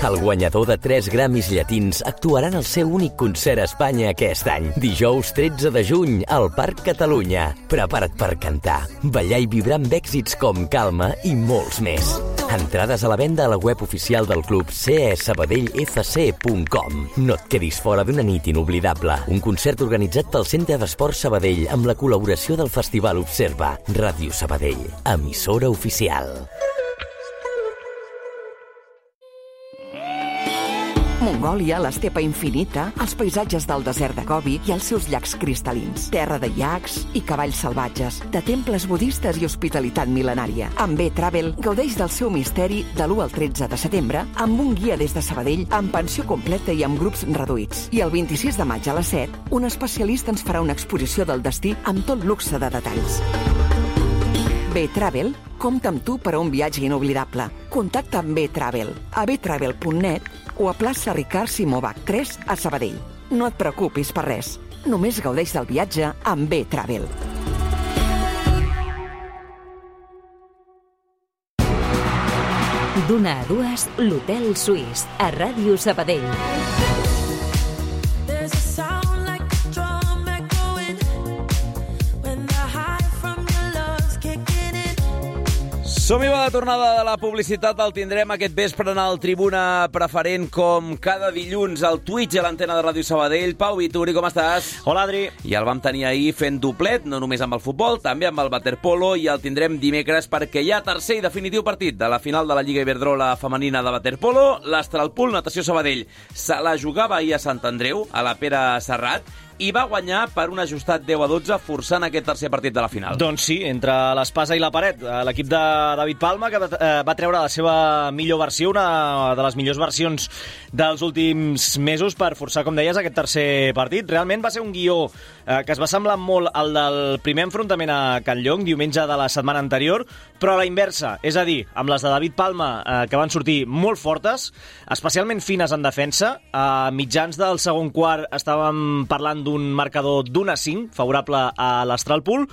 El guanyador de 3 Grammys llatins actuarà en el seu únic concert a Espanya aquest any. Dijous 13 de juny, al Parc Catalunya. Prepara't per cantar, ballar i vibrar amb èxits com Calma i molts més. Entrades a la venda a la web oficial del club cesabadellfc.com. No et quedis fora d'una nit inoblidable. Un concert organitzat pel Centre d'Esports Sabadell amb la col·laboració del Festival Observa. Ràdio Sabadell, emissora oficial. Mongòlia, l'estepa infinita, els paisatges del desert de Gobi i els seus llacs cristal·lins. Terra de iacs i cavalls salvatges, de temples budistes i hospitalitat mil·lenària. Amb B-Travel gaudeix del seu misteri de l'1 al 13 de setembre amb un guia des de Sabadell amb pensió completa i amb grups reduïts. I el 26 de maig a les 7, un especialista ens farà una exposició del destí amb tot luxe de detalls. B-Travel compta amb tu per a un viatge inoblidable. Contacta amb B-Travel a btravel.net o a plaça Ricard Simó Bach 3 a Sabadell. No et preocupis per res. Només gaudeix del viatge amb B-Travel. D'una a dues, l'Hotel Suís, a Ràdio Sabadell. Som-hi, va de tornada de la publicitat. El tindrem aquest vespre en el Tribuna Preferent, com cada dilluns, al Twitch a l'antena de Ràdio Sabadell. Pau Vituri, com estàs? Hola, Adri. I el vam tenir ahir fent doblet, no només amb el futbol, també amb el waterpolo, i el tindrem dimecres perquè hi ha tercer i definitiu partit de la final de la Lliga Iberdrola femenina de waterpolo. L'Astralpool Natació Sabadell se la jugava ahir a Sant Andreu, a la Pere Serrat, i va guanyar per un ajustat 10-12, forçant aquest tercer partit de la final. Doncs sí, entre l'espasa i la paret. L'equip de David Palma, que va treure la seva millor versió, una de les millors versions dels últims mesos, per forçar, com deies, aquest tercer partit. Realment va ser un guió que es va semblar molt al del primer enfrontament a Can Llong, diumenge de la setmana anterior, però a la inversa, és a dir, amb les de David Palma, que van sortir molt fortes, especialment fines en defensa. A mitjans del segon quart estàvem parlant d'un marcador d'1-5 favorable a l'Astralpool,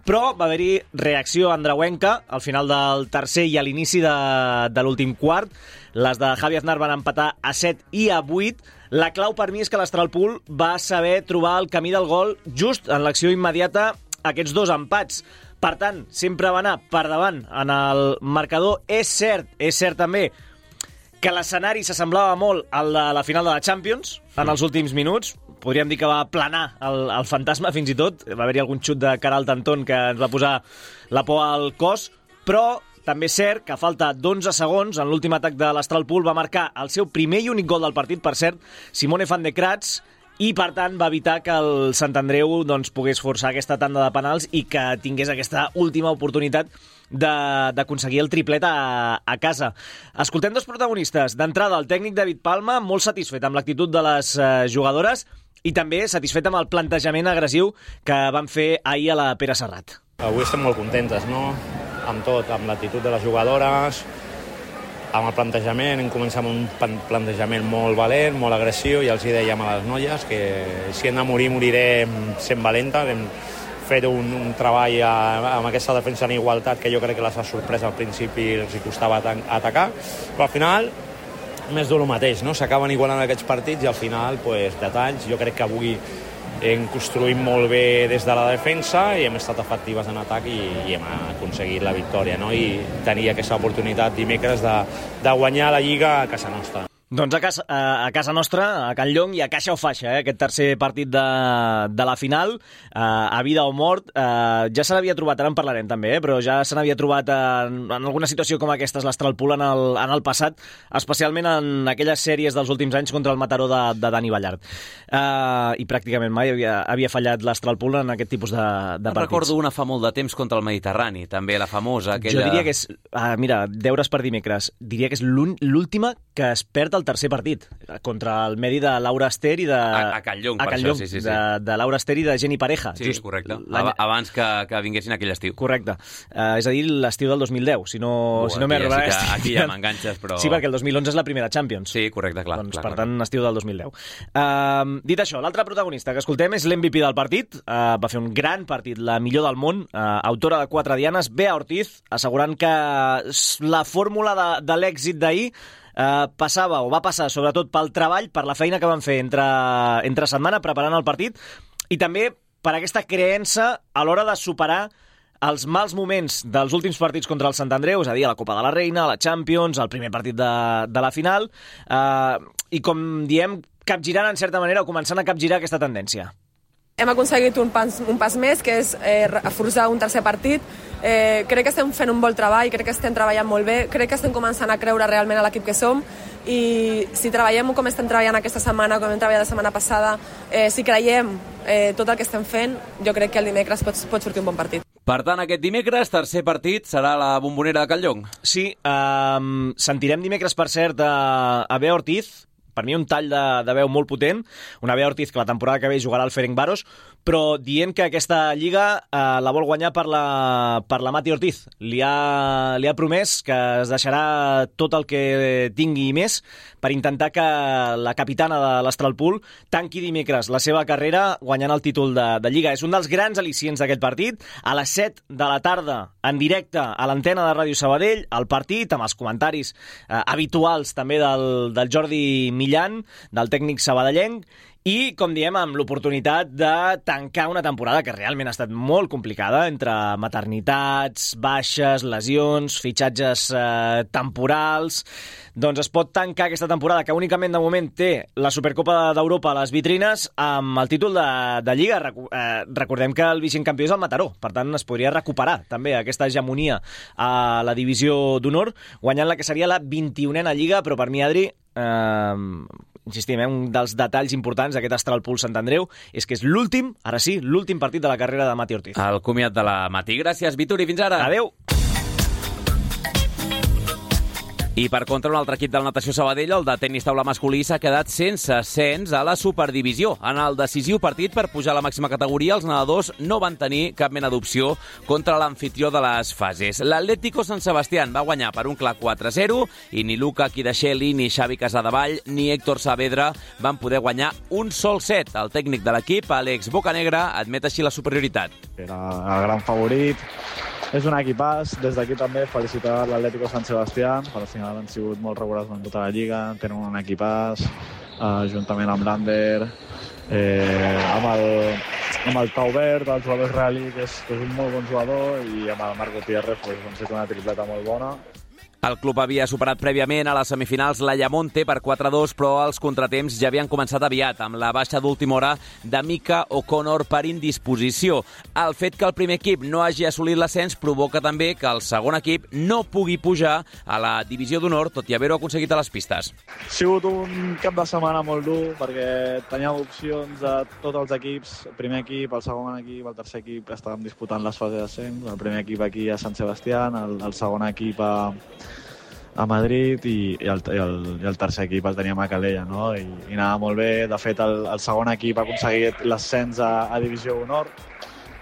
però va haver-hi reacció andreuenca al final del tercer i a l'inici de l'últim quart. Les de Javi Aznar van empatar a 7 i a 8. La clau per mi és que l'Astralpool va saber trobar el camí del gol just en l'acció immediata aquests dos empats. Per tant, sempre va anar per davant en el marcador. És cert també que l'escenari s'assemblava molt al de la final de la Champions en els últims minuts. Podríem dir que va planar el fantasma fins i tot. Va haver-hi algun xut de cara al Tantón que ens va posar la por al cos, però també és cert que a falta d'11 segons, en l'últim atac de l'Astralpool va marcar el seu primer i únic gol del partit, per cert, Simone van de Kratz, i per tant va evitar que el Sant Andreu pogués forçar aquesta tanda de penals i que tingués aquesta última oportunitat d'aconseguir el triplet a casa. Escoltem dos protagonistes. D'entrada, el tècnic David Palma, molt satisfet amb l'actitud de les jugadores i també satisfet amb el plantejament agressiu que van fer ahir a la Pere Serrat. Avui estem molt contentes, no? Amb tot, amb l'actitud de les jugadores, amb el plantejament. Hem començat amb un plantejament molt valent, molt agressiu, i els hi dèiem a les noies que si hem de morir, morirem sent valentes. Hem fet un treball amb aquesta defensa en igualtat que jo crec que les ha sorprès al principi, els hi costava atacar, però al final més del mateix, no? S'acaben igualant aquests partits i al final, detalls. Jo crec que avui hem construït molt bé des de la defensa i hem estat efectives en atac i hem aconseguit la victòria, no? I tenir aquesta oportunitat dimecres de guanyar la Lliga a casa nostra. Doncs a casa nostra, a Can Llong i a caixa o faixa, aquest tercer partit de la final, a vida o mort. Ja se n'havia trobat, ara en parlarem també, però ja se n'havia trobat en alguna situació com aquesta l'Astralpool en el passat, especialment en aquelles sèries dels últims anys contra el Mataró de Dani Ballart. I pràcticament mai havia fallat l'Astralpool en aquest tipus de partits. Recordo una fa molt de temps contra el Mediterrani, també la famosa, aquella... Jo diria que és... mira, deures per dimecres. Diria que és l'última que es perd el tercer partit, contra el Medi de Laura Ester i de... A Can Llong, per això, sí. De Laura Ester i de Jenny Pareja. Sí, just correcte. Abans que vinguessin aquell estiu. Correcte. És a dir, l'estiu del 2010, si no m'he robat. Sí, aquí ja m'enganxes, però... Sí, perquè el 2011 és la primera Champions. Sí, correcte, clar. Doncs, per tant, estiu del 2010. Dit això, l'altre protagonista que escoltem és l'MVP del partit. Va fer un gran partit, la millor del món, autora de 4 dianes, Bea Ortiz, assegurant que la fórmula de l'èxit d'ahir passava o va passar sobretot pel treball, per la feina que van fer entre setmana preparant el partit i també per aquesta creença a l'hora de superar els mals moments dels últims partits contra el Sant Andreu, és a dir, a la Copa de la Reina, a la Champions, el primer partit de la final, i com diem, capgirant en certa manera o començant a capgirar aquesta tendència. Hem aconseguit un pas més, que és forçar un tercer partit. Crec que estem fent un bon treball, crec que estem treballant molt bé, crec que estem començant a creure realment a l'equip que som, i si treballem com estem treballant aquesta setmana, com hem treballat la setmana passada, si creiem tot el que estem fent, jo crec que el dimecres pot sortir un bon partit. Per tant, aquest dimecres, tercer partit, serà la Bombonera de Can Llong. Sí, sentirem dimecres, per cert, a Bea Ortiz, per mi un tall de veu molt potent, una Bea Ortiz que la temporada que ve jugarà al Ferencváros, però dient que aquesta lliga la vol guanyar per la Mati Ortiz. Li ha promès que es deixarà tot el que tingui i més per intentar que la capitana de l'Astralpool tanqui dimecres la seva carrera guanyant el títol de Lliga. És un dels grans al·licients d'aquest partit. A les 7 de la tarda, en directe a l'antena de Ràdio Sabadell, el partit amb els comentaris habituals també del Jordi Millan, del tècnic sabadellenc, I, com diem, amb l'oportunitat de tancar una temporada que realment ha estat molt complicada, entre maternitats, baixes, lesions, fitxatges temporals. Doncs es pot tancar aquesta temporada, que únicament de moment té la Supercopa d'Europa a les vitrines, amb el títol de Lliga. Recordem que el vigent campió és el Mataró, per tant es podria recuperar també aquesta hegemonia a la divisió d'honor, guanyant la que seria la 21a Lliga, però per mi, Adri, insistim, un dels detalls importants d'aquest Astralpool Sant Andreu és que és l'últim, ara sí, l'últim partit de la carrera de Mati Ortiz. El comiat de la Mati. Gràcies, Vitor, i fins ara. Adéu. I per contra, un altre equip del Natació Sabadell, el de tenis taula masculí, s'ha quedat sense ascens a la Superdivisió. En el decisiu partit per pujar a la màxima categoria, els nedadors no van tenir cap mena d'opció contra l'anfitrió de les fases. L'Atlético Sant Sebastián va guanyar per un clar 4-0 i ni Luca Quidacheli, ni Xavi Casadevall, ni Héctor Saavedra van poder guanyar un sol set. El tècnic de l'equip, Àlex Bocanegra, admet així la superioritat. Era el gran favorit. És un equipàs. Des d'aquí també felicitar l'Atlético Sant Sebastián. Al final han sigut molt regulars en tota la Lliga. Tenen un equipàs, juntament amb l'Ander, amb el Taubert, el jugador israelí, que és un molt bon jugador, i amb el Marc Gutiérrez han fet una tripleta molt bona. El club havia superat prèviament a les semifinals l'Ayamonte per 4-2, però els contratemps ja havien començat aviat, amb la baixa d'última hora de Mika O'Connor per indisposició. El fet que el primer equip no hagi assolit l'ascens provoca també que el segon equip no pugui pujar a la divisió d'honor, tot i haver-ho aconseguit a les pistes. Ha sigut un cap de setmana molt dur, perquè teníem opcions de tots els equips, el primer equip, el segon equip, el tercer equip, estàvem disputant les fases d'ascens, el primer equip aquí a Sant Sebastián, el segon equip a Madrid i el tercer equip el teníem a Calella, no? I anava molt bé. De fet, el segon equip ha aconseguit l'ascens a Divisió d'Honor.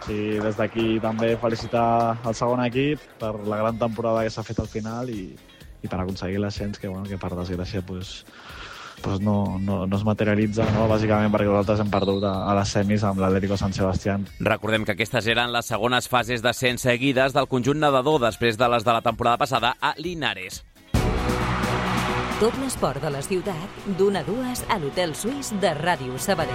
I des d'aquí també felicitar el segon equip per la gran temporada que s'ha fet al final i per aconseguir l'ascens que per desgràcia no es materialitza, no? Bàsicament perquè nosaltres hem perdut a les semis amb l'Atlético Sant Sebastián. Recordem que aquestes eren les segones fases d'ascens seguides del conjunt nedador després de les de la temporada passada a Linares. Tot l'esport de la ciutat, d'1 a 2 a l'Hotel Suís de Ràdio Sabadell.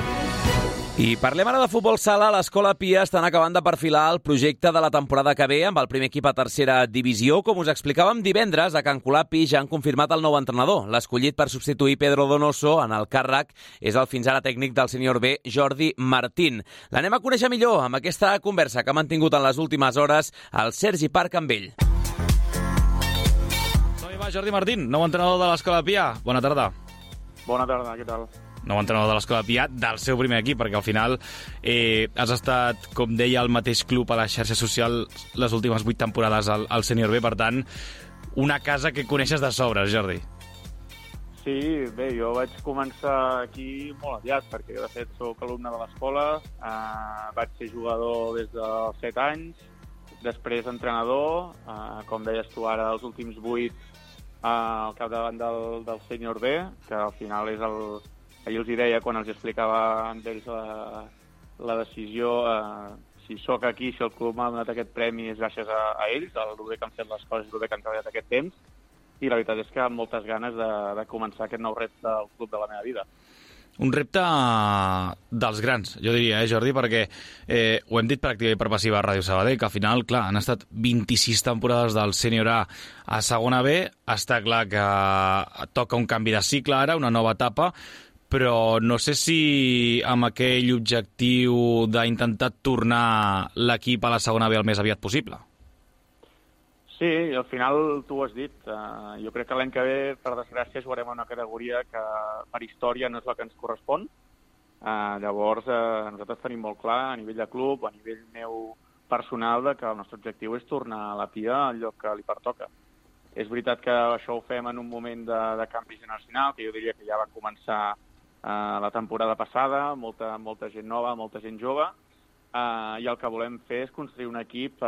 I parlem ara de futbol sala. A l'Escola Pia estan acabant de perfilar el projecte de la temporada que ve amb el primer equip a tercera divisió. Com us explicàvem divendres, a Can Colapi ja han confirmat el nou entrenador. L'escollit per substituir Pedro Donoso en el càrrec és el fins ara tècnic del sènior B, Jordi Martín. L'anem a conèixer millor amb aquesta conversa que ha mantingut en les últimes hores el Sergi Parc amb ell. Jordi Martín, nou entrenador de l'Escola Pia. Bona tarda. Bona tarda, què tal? Nou entrenador de l'Escola Pia, del seu primer equip, perquè al final has estat, com deia, al mateix club a la xarxa social les últimes 8 temporades al sènior B, per tant, una casa que coneixes de sobres, Jordi. Sí, bé, jo vaig començar aquí molt aviat, perquè de fet soc alumne de l'escola, vaig ser jugador des dels 7 anys, després entrenador, com deies tu ara, els últims 8 al capdavant del sènior B, que al final és ahir els hi deia quan els explicava amb ells la decisió, si sóc aquí, si el club m'ha donat aquest premi és gràcies a ells, el bé que han fet les coses, el bé que han treballat aquest temps, i la veritat és que amb moltes ganes de començar aquest nou repte del club de la meva vida. Un repte dels grans, jo diria, Jordi, perquè ho hem dit per activa i per passiva a Ràdio Sabadell, que al final, clar, han estat 26 temporades del sènior A a segona B, està clar que toca un canvi de cicle ara, una nova etapa, però no sé si amb aquell objectiu d'intentar tornar l'equip a la segona B el més aviat possible. Sí, al final tu ho has dit. Jo crec que l'any que ve, per desgràcia, jugarem en una categoria que per història no és la que ens correspon. Llavors, nosaltres tenim molt clar, a nivell de club, a nivell meu personal, que el nostre objectiu és tornar a la Pia al lloc que li pertoca. És veritat que això ho fem en un moment de canvi generacional, que jo diria que ja va començar la temporada passada, molta gent nova, molta gent jove, i el que volem fer és construir un equip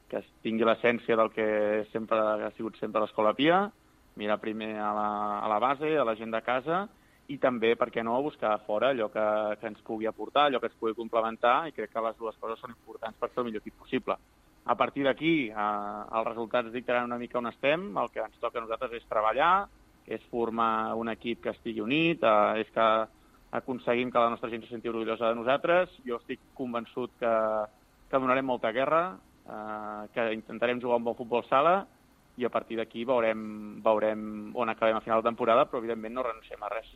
que tingui l'essència del que sempre ha sigut sempre l'Escola Pia, mirar primer a la base, a la gent de casa, i també, per què no, buscar a fora allò que ens pugui aportar, allò que ens pugui complementar, i crec que les dues coses són importants per fer el millor equip possible. A partir d'aquí, els resultats dictaran una mica on estem, el que ens toca a nosaltres és treballar, és formar un equip que estigui unit, és que aconseguim que la nostra gent se senti orgullosa de nosaltres. Jo estic convençut que donarem molta guerra, que intentarem jugar un bon futbol sala i a partir d'aquí veurem on acabem a final de temporada, però evidentment no renunciem a res.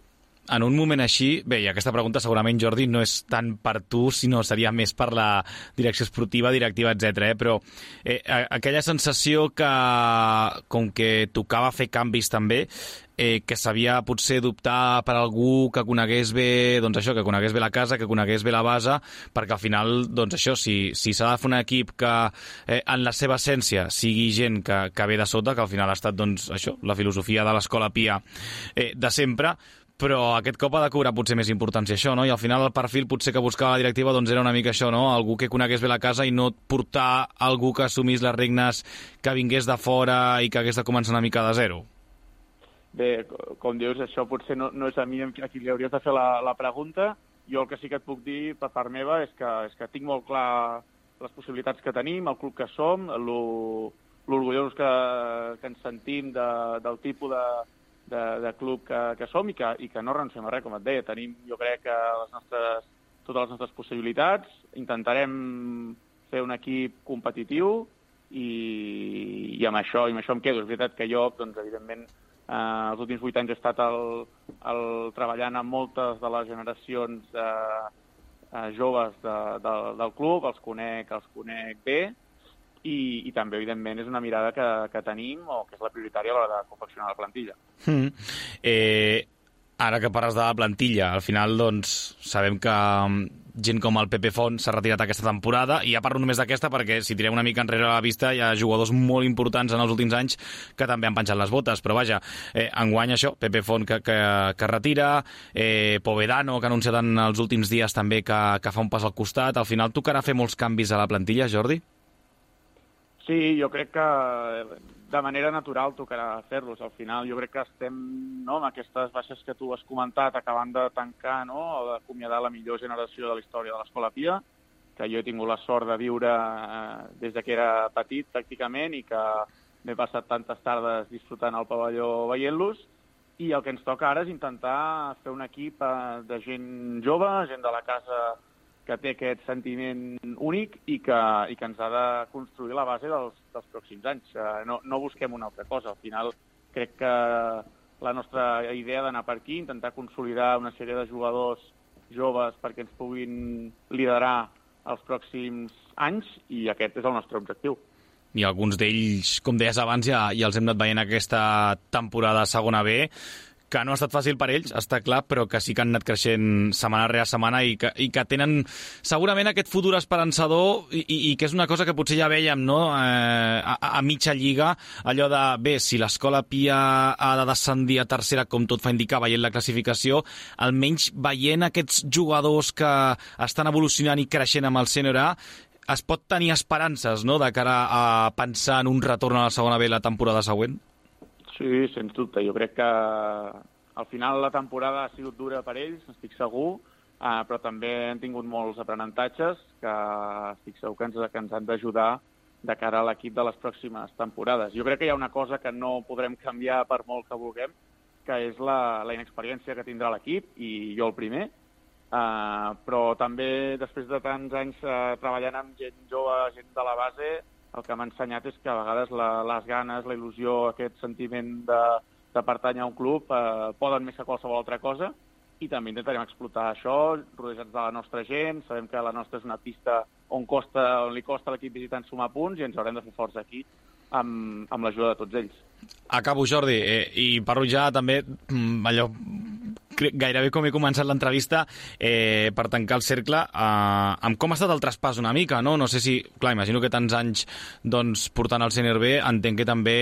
En un moment així, bé, i aquesta pregunta segurament, Jordi, no és tant per tu, sinó seria més per la direcció esportiva, directiva, etc. Però aquella sensació que, com que tocava fer canvis també, que s'havia potser d'optar per algú que conegués bé, doncs això, que conegués bé la casa, que conegués bé la base, perquè al final, doncs això, si s'ha de fer un equip que en la seva essència sigui gent que ve de sota, que al final ha estat, doncs, això, la filosofia de l'Escola Pia de sempre, però aquest cop ha de cobrar potser més importància això, no? I al final el perfil potser que buscava la directiva doncs era una mica això, no? Algú que conegués bé la casa i no portar algú que assumís les regnes, que vingués de fora i que hagués de començar una mica de zero. Bé, com dius, això potser no és a mi a qui li hauries de fer la pregunta. Jo el que sí que et puc dir per part meva és que tinc molt clar les possibilitats que tenim, el club que som, l'orgullosos que ens sentim del tipus de club que som i que no renunciem a res, com et deia. Tenim, jo crec, totes les nostres possibilitats, intentarem fer un equip competitiu i amb això em quedo. És veritat que jo, doncs, evidentment, els últims 8 anys he estat treballant amb moltes de les generacions joves del club, els conec bé, i també, evidentment, és una mirada que tenim o que és la prioritària a l'hora de confeccionar la plantilla. Ara que parles de la plantilla, al final, doncs, sabem que gent com el Pepe Font s'ha retirat aquesta temporada, i ja parlo només d'aquesta perquè si tirem una mica enrere a la vista hi ha jugadors molt importants en els últims anys que també han penjat les botes, però vaja, enguany això, Pepe Font que retira, Povedano, que ha anunciat en els últims dies també que fa un pas al costat. Al final tocarà fer molts canvis a la plantilla, Jordi? Sí, jo crec que de manera natural tocarà fer-los. Al final jo crec que estem amb aquestes baixes que tu has comentat acabant de tancar o d'acomiadar la millor generació de la història de l'Escola Pia, que jo he tingut la sort de viure des que era petit pràcticament i que m'he passat tantes tardes disfrutant al pavelló veient-los, i el que ens toca ara és intentar fer un equip de gent jove, gent de la casa que té aquest sentiment únic i que ens ha de construir la base dels pròxims anys. No busquem una altra cosa. Al final crec que la nostra idea d'anar per aquí, intentar consolidar una sèrie de jugadors joves perquè ens puguin liderar els pròxims anys, i aquest és el nostre objectiu. I alguns d'ells, com deies abans, ja els hem anat veient aquesta temporada a segona B, que no ha estat fàcil per ells, està clar, però que sí que han anat creixent setmana rere setmana i que tenen segurament aquest futur esperançador i que és una cosa que potser ja vèiem, no? A mitja lliga, allò de, bé, si l'Escola Pia ha de descendir a tercera, com tot fa indicar, veient la classificació, almenys veient aquests jugadors que estan evolucionant i creixent amb el sènior A, es pot tenir esperances, no?, de cara a pensar en un retorn a la segona B la temporada següent? Sí, sens dubte. Jo crec que al final la temporada ha sigut dura per ells, estic segur, però també han tingut molts aprenentatges que estic segur que ens han d'ajudar de cara a l'equip de les pròximes temporades. Jo crec que hi ha una cosa que no podrem canviar per molt que vulguem, que és la inexperiència que tindrà l'equip, i jo el primer, però també després de tants anys treballant amb gent jove, gent de la base, el que m'ha ensenyat és que a vegades les ganes, la il·lusió, aquest sentiment de pertànyer a un club poden més que qualsevol altra cosa, i també intentarem explotar això, rodejats de la nostra gent. Sabem que la nostra és una pista on li costa a l'equip visitant sumar punts, i ens haurem de fer forts aquí amb l'ajuda de tots ells. Acabo, Jordi, i parlo ja també allò gairebé com he començat l'entrevista, per tancar el cercle, amb com ha estat el traspàs una mica, no? No sé si, clar, imagino que tants anys doncs, portant el sènior B, entenc que també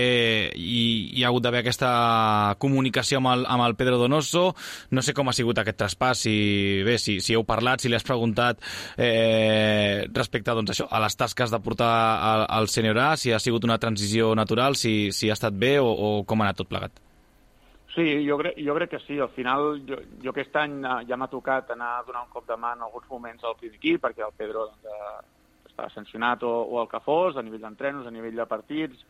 hi ha hagut d'haver aquesta comunicació amb el Pedro Donoso. No sé com ha sigut aquest traspàs, si heu parlat, si li has preguntat respecte doncs, això, a les tasques de portar el sènior A, si ha sigut una transició natural, si ha estat bé o com ha anat tot plegat. Sí, jo crec que sí. Al final, jo aquest any ja m'ha tocat anar a donar un cop de mà en alguns moments al primer equip, perquè el Pedro estava sancionat o el que fos, a nivell d'entrenos, a nivell de partits.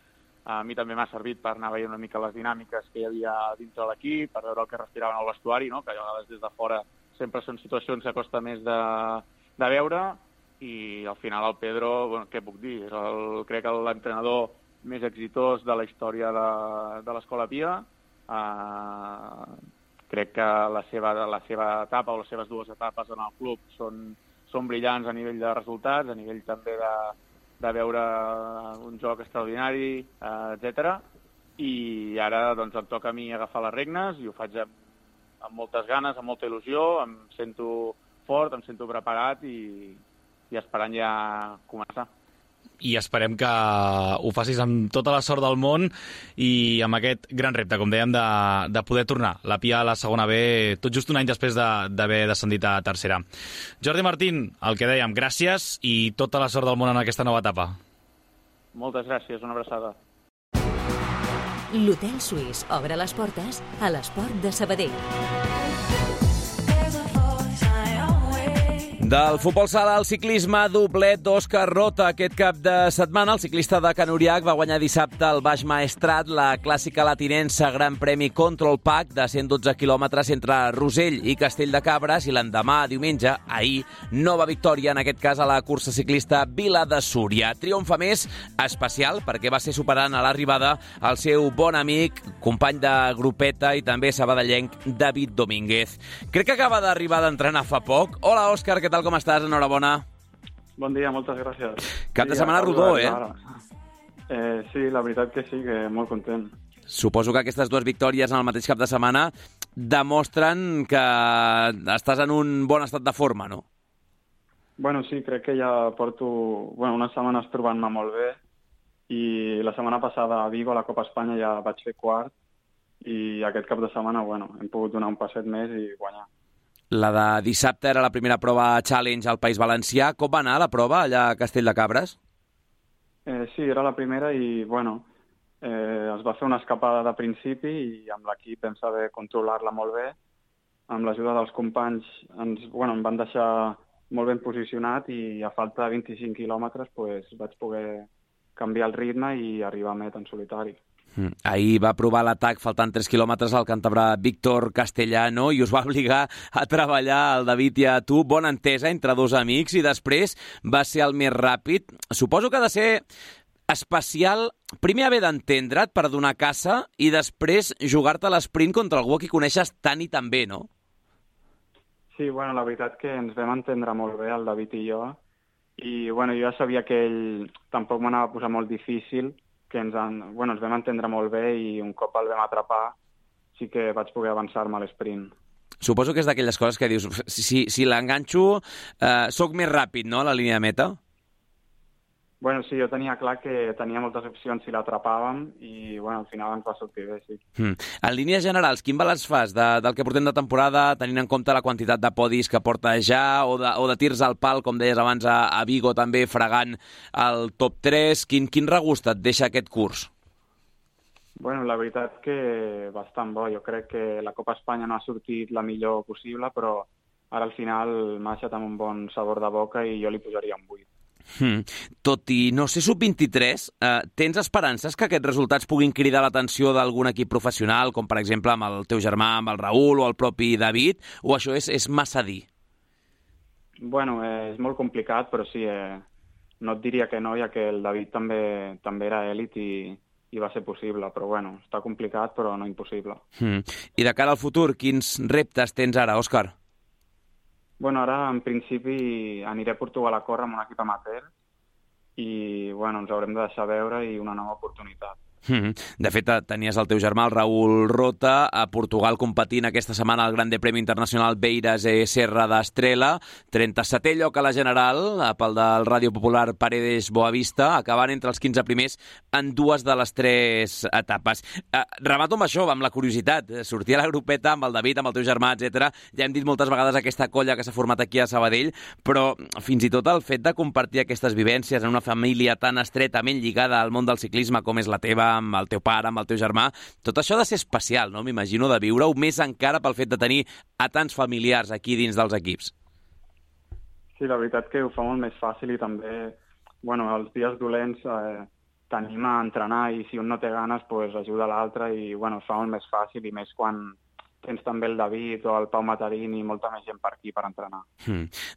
A mi també m'ha servit per anar veient una mica les dinàmiques que hi havia dintre l'equip, per veure el que respiraven al vestuari, no? Que a vegades des de fora sempre són situacions que costa més de veure, i al final el Pedro, bueno, què puc dir? És crec que l'entrenador més exitós de la història de l'Escola Pia. Crec que la seva etapa o les seves dues etapes en el club són brillants a nivell de resultats, a nivell també de veure un joc extraordinari, etc. I ara doncs, em toca a mi agafar les regnes i ho faig amb moltes ganes, amb molta il·lusió, em sento fort, em sento preparat i esperant ja començar. I esperem que ho facis amb tota la sort del món i amb aquest gran repte, com dèiem, de poder tornar la Pia a la segona B tot just un any després d'haver descendit a tercera. Jordi Martín, el que dèiem, gràcies i tota la sort del món en aquesta nova etapa. Moltes gràcies, una abraçada. L'Hotel Suís obre les portes a l'Esport de Sabadell. Del futbol sala al ciclisme, doblet d'Òscar Rota. Aquest cap de setmana, el ciclista de Can Uriach va guanyar dissabte al Baix Maestrat la clàssica latinense Gran Premi Control Pack de 112 quilòmetres entre Rosell i Castell de Cabres, i l'endemà, diumenge, ahir, nova victòria, en aquest cas a la cursa ciclista Vila de Súria. Triomf, a més, especial, perquè va ser superant a l'arribada el seu bon amic, company de grupeta i també sabadellenc, David Domínguez. Crec que acaba d'arribar d'entrenar fa poc. Hola, Òscar, què tal, com estàs? Enhorabona. Bon dia, moltes gràcies. Cap de setmana rodó, eh? Sí, la veritat que sí, que molt content. Suposo que aquestes dues victòries en el mateix cap de setmana demostren que estàs en un bon estat de forma, no? Bueno, sí, crec que ja porto unes setmanes trobant-me molt bé, i la setmana passada a Vigo, a la Copa Espanya, ja vaig fer quart, i aquest cap de setmana, hem pogut donar un passet més i guanyar. La de dissabte era la primera prova Challenge al País Valencià. Com va anar la prova allà a Castell de Cabres? Sí, era la primera i, es va fer una escapada de principi i amb l'equip vam saber controlar-la molt bé. Amb l'ajuda dels companys em van deixar molt ben posicionat i a falta de 25 quilòmetres vaig poder canviar el ritme i arribar a meta en solitari. Ahir va provar l'atac faltant 3 quilòmetres al càntabre Víctor Castellano i us va obligar a treballar al David i a tu. Bona entesa entre dos amics i després va ser el més ràpid. Suposo que ha de ser especial primer haver d'entendre't per donar caça i després jugar-te l'esprint contra algú que coneixes tant i tan bé, no? Sí, la veritat que ens vam entendre molt bé, el David i jo, i jo ja sabia que ell tampoc m'anava a posar molt difícil, que ens vam entendre molt bé i un cop el vam atrapar sí que vaig poder avançar-me a l'esprint. Suposo que és d'aquelles coses que dius, si l'enganxo, soc més ràpid, no?, a la línia de meta? Sí, jo tenia clar que tenia moltes opcions si l'atrapàvem i, al final ens va sortir bé, sí. En línies generals, quin balanç fas del que portem de temporada, tenint en compte la quantitat de podis que porta ja o de tirs al pal, com deies abans, a Vigo també fregant el top 3? Quin regust et deixa aquest curs? La veritat que bastant bo. Jo crec que la Copa Espanya no ha sortit la millor possible, però ara al final m'ha deixat amb un bon sabor de boca i jo li posaria un 8. Tot i no ser sub-23, tens esperances que aquests resultats puguin cridar l'atenció d'algun equip professional, com per exemple amb el teu germà, amb el Raül o el propi David, o això és massa dir? És molt complicat, però sí, no et diria que no, ja que el David també era èlit i va ser possible, però està complicat però no impossible. I de cara al futur, quins reptes tens ara, Òscar? Ara, en principi, aniré a Portugal a córrer amb un equip amateur i, ens haurem de deixar veure i una nova oportunitat. De fet, tenies el teu germà, el Raül Rota, a Portugal competint aquesta setmana al Gran Premi Internacional Beiras Serra d'Estrela, 37è lloc a la general, pel del Ràdio Popular Paredes Boavista, acabant entre els 15 primers en dues de les 3 etapes. Remato amb això, amb la curiositat. Sortir a la grupeta amb el David, amb el teu germà, etc. Ja hem dit moltes vegades aquesta colla que s'ha format aquí a Sabadell, però fins i tot el fet de compartir aquestes vivències en una família tan estretament lligada al món del ciclisme com és la teva, amb el teu pare, amb el teu germà, tot això ha de ser especial, no? M'imagino, de viure-ho, més encara pel fet de tenir a tants familiars aquí dins dels equips. Sí, la veritat que ho fa molt més fàcil i també, els dies dolents t'anima a entrenar i si un no té ganes, ajuda l'altre i, fa molt més fàcil i més quan tens també el David o el Pau Matarín i molta més gent per aquí per entrenar.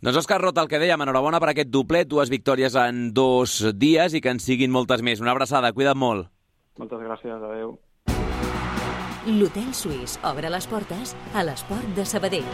Doncs Òscar Rota, el que dèiem, enhorabona per aquest doblet, 2 victòries en 2 dies i que en siguin moltes més. Una abraçada, cuida't molt. Moltes gràcies, adeu. L'Hotel Suís obre les portes a l'esport de Sabadell.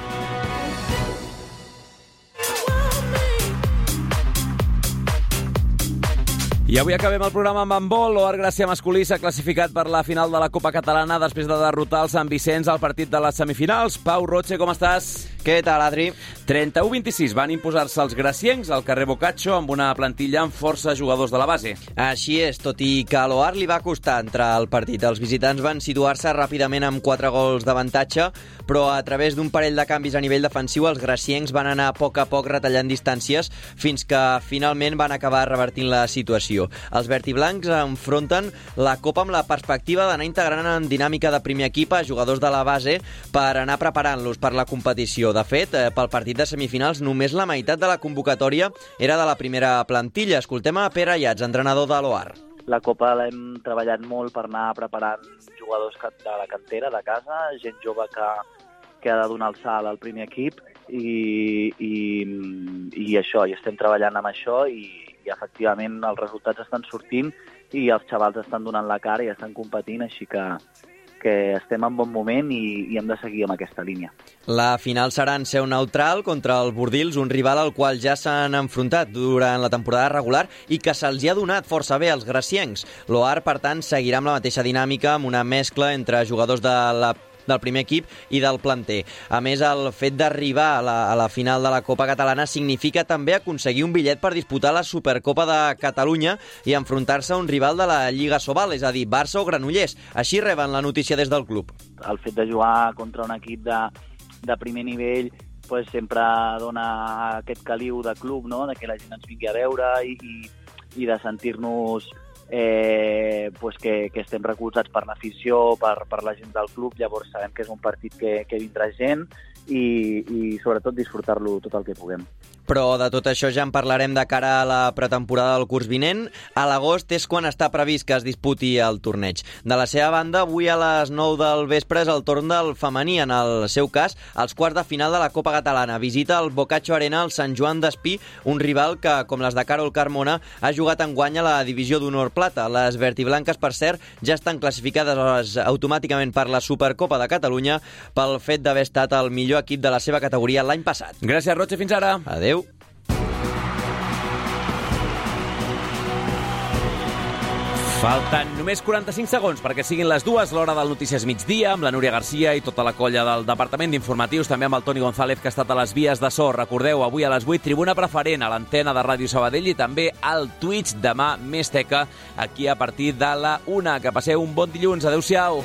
I avui acabem el programa amb handbol. L'Oar Gràcia masculí s'ha classificat per la final de la Copa Catalana després de derrotar el Sant Vicenç al partit de les semifinals. Pau Roche, com estàs? Què tal, Adri? 31-26 van imposar-se els graciencs al carrer Boccaccio amb una plantilla amb força jugadors de la base. Així és, tot i que a l'Oar li va costar entrar al partit. Els visitants van situar-se ràpidament amb 4 gols d'avantatge, però a través d'un parell de canvis a nivell defensiu els graciencs van anar a poc retallant distàncies fins que finalment van acabar revertint la situació. Els vertiblancs enfronten la Copa amb la perspectiva d'anar integrant en dinàmica de primer equip a jugadors de la base per anar preparant-los per la competició. De fet, pel partit de semifinals només la meitat de la convocatòria era de la primera plantilla. Escoltem a Pere Ayats, entrenador de l'Oar. La Copa l'hem treballat molt per anar preparant jugadors de la cantera, de casa, gent jove que ha de donar el salt al primer equip i això, i estem treballant amb això i efectivament els resultats estan sortint i els xavals estan donant la cara i estan competint, així que estem en bon moment i hem de seguir amb aquesta línia. La final serà en seu neutral contra el Bordils, un rival al qual ja s'han enfrontat durant la temporada regular i que se'ls ha donat força bé als graciencs. L'Oar, per tant, seguirà amb la mateixa dinàmica, amb una mescla entre jugadors del primer equip i del planter. A més, el fet d'arribar a la final de la Copa Catalana significa també aconseguir un bitllet per disputar la Supercopa de Catalunya i enfrontar-se a un rival de la Lliga Sobal, és a dir, Barça o Granollers. Així reben la notícia des del club. El fet de jugar contra un equip de primer nivell pues, sempre dona aquest caliu de club, no? De que la gent ens vingui a veure i de sentir-nos pues que estem recolzats per l'afició, per la gent del club. Llavors sabem que és un partit que vindrà gent i sobretot disfrutar-lo tot el que puguem. Però de tot això ja en parlarem de cara a la pretemporada del curs vinent. A l'agost és quan està previst que es disputi el torneig. De la seva banda, avui a les 9 del vespre és el torn del femení. En el seu cas, els quarts de final de la Copa Catalana. Visita el Boccaccio Arena al Sant Joan d'Espí, un rival que, com les de Carol Carmona, ha jugat enguany a la divisió d'honor plata. Les vertiblanques, per cert, ja estan classificades automàticament per la Supercopa de Catalunya pel fet d'haver estat el millor equip de la seva categoria l'any passat. Gràcies, Roche. Fins ara. Adéu. Falten només 45 segons perquè siguin les 2, l'hora del Notícies Migdia, amb la Núria Garcia i tota la colla del Departament d'Informatius, també amb el Toni González, que ha estat a les vies de so. Recordeu, avui a les 8, tribuna preferent a l'antena de Ràdio Sabadell i també al Twitch. Demà més teca, aquí a partir de la 1. Que passeu un bon dilluns. Adéu-siau.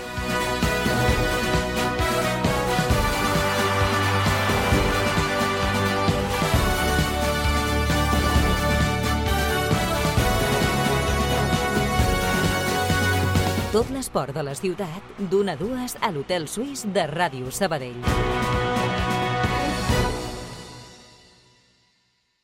Tot l'esport de la ciutat, d'1 a 2 a l'Hotel Suís de Ràdio Sabadell.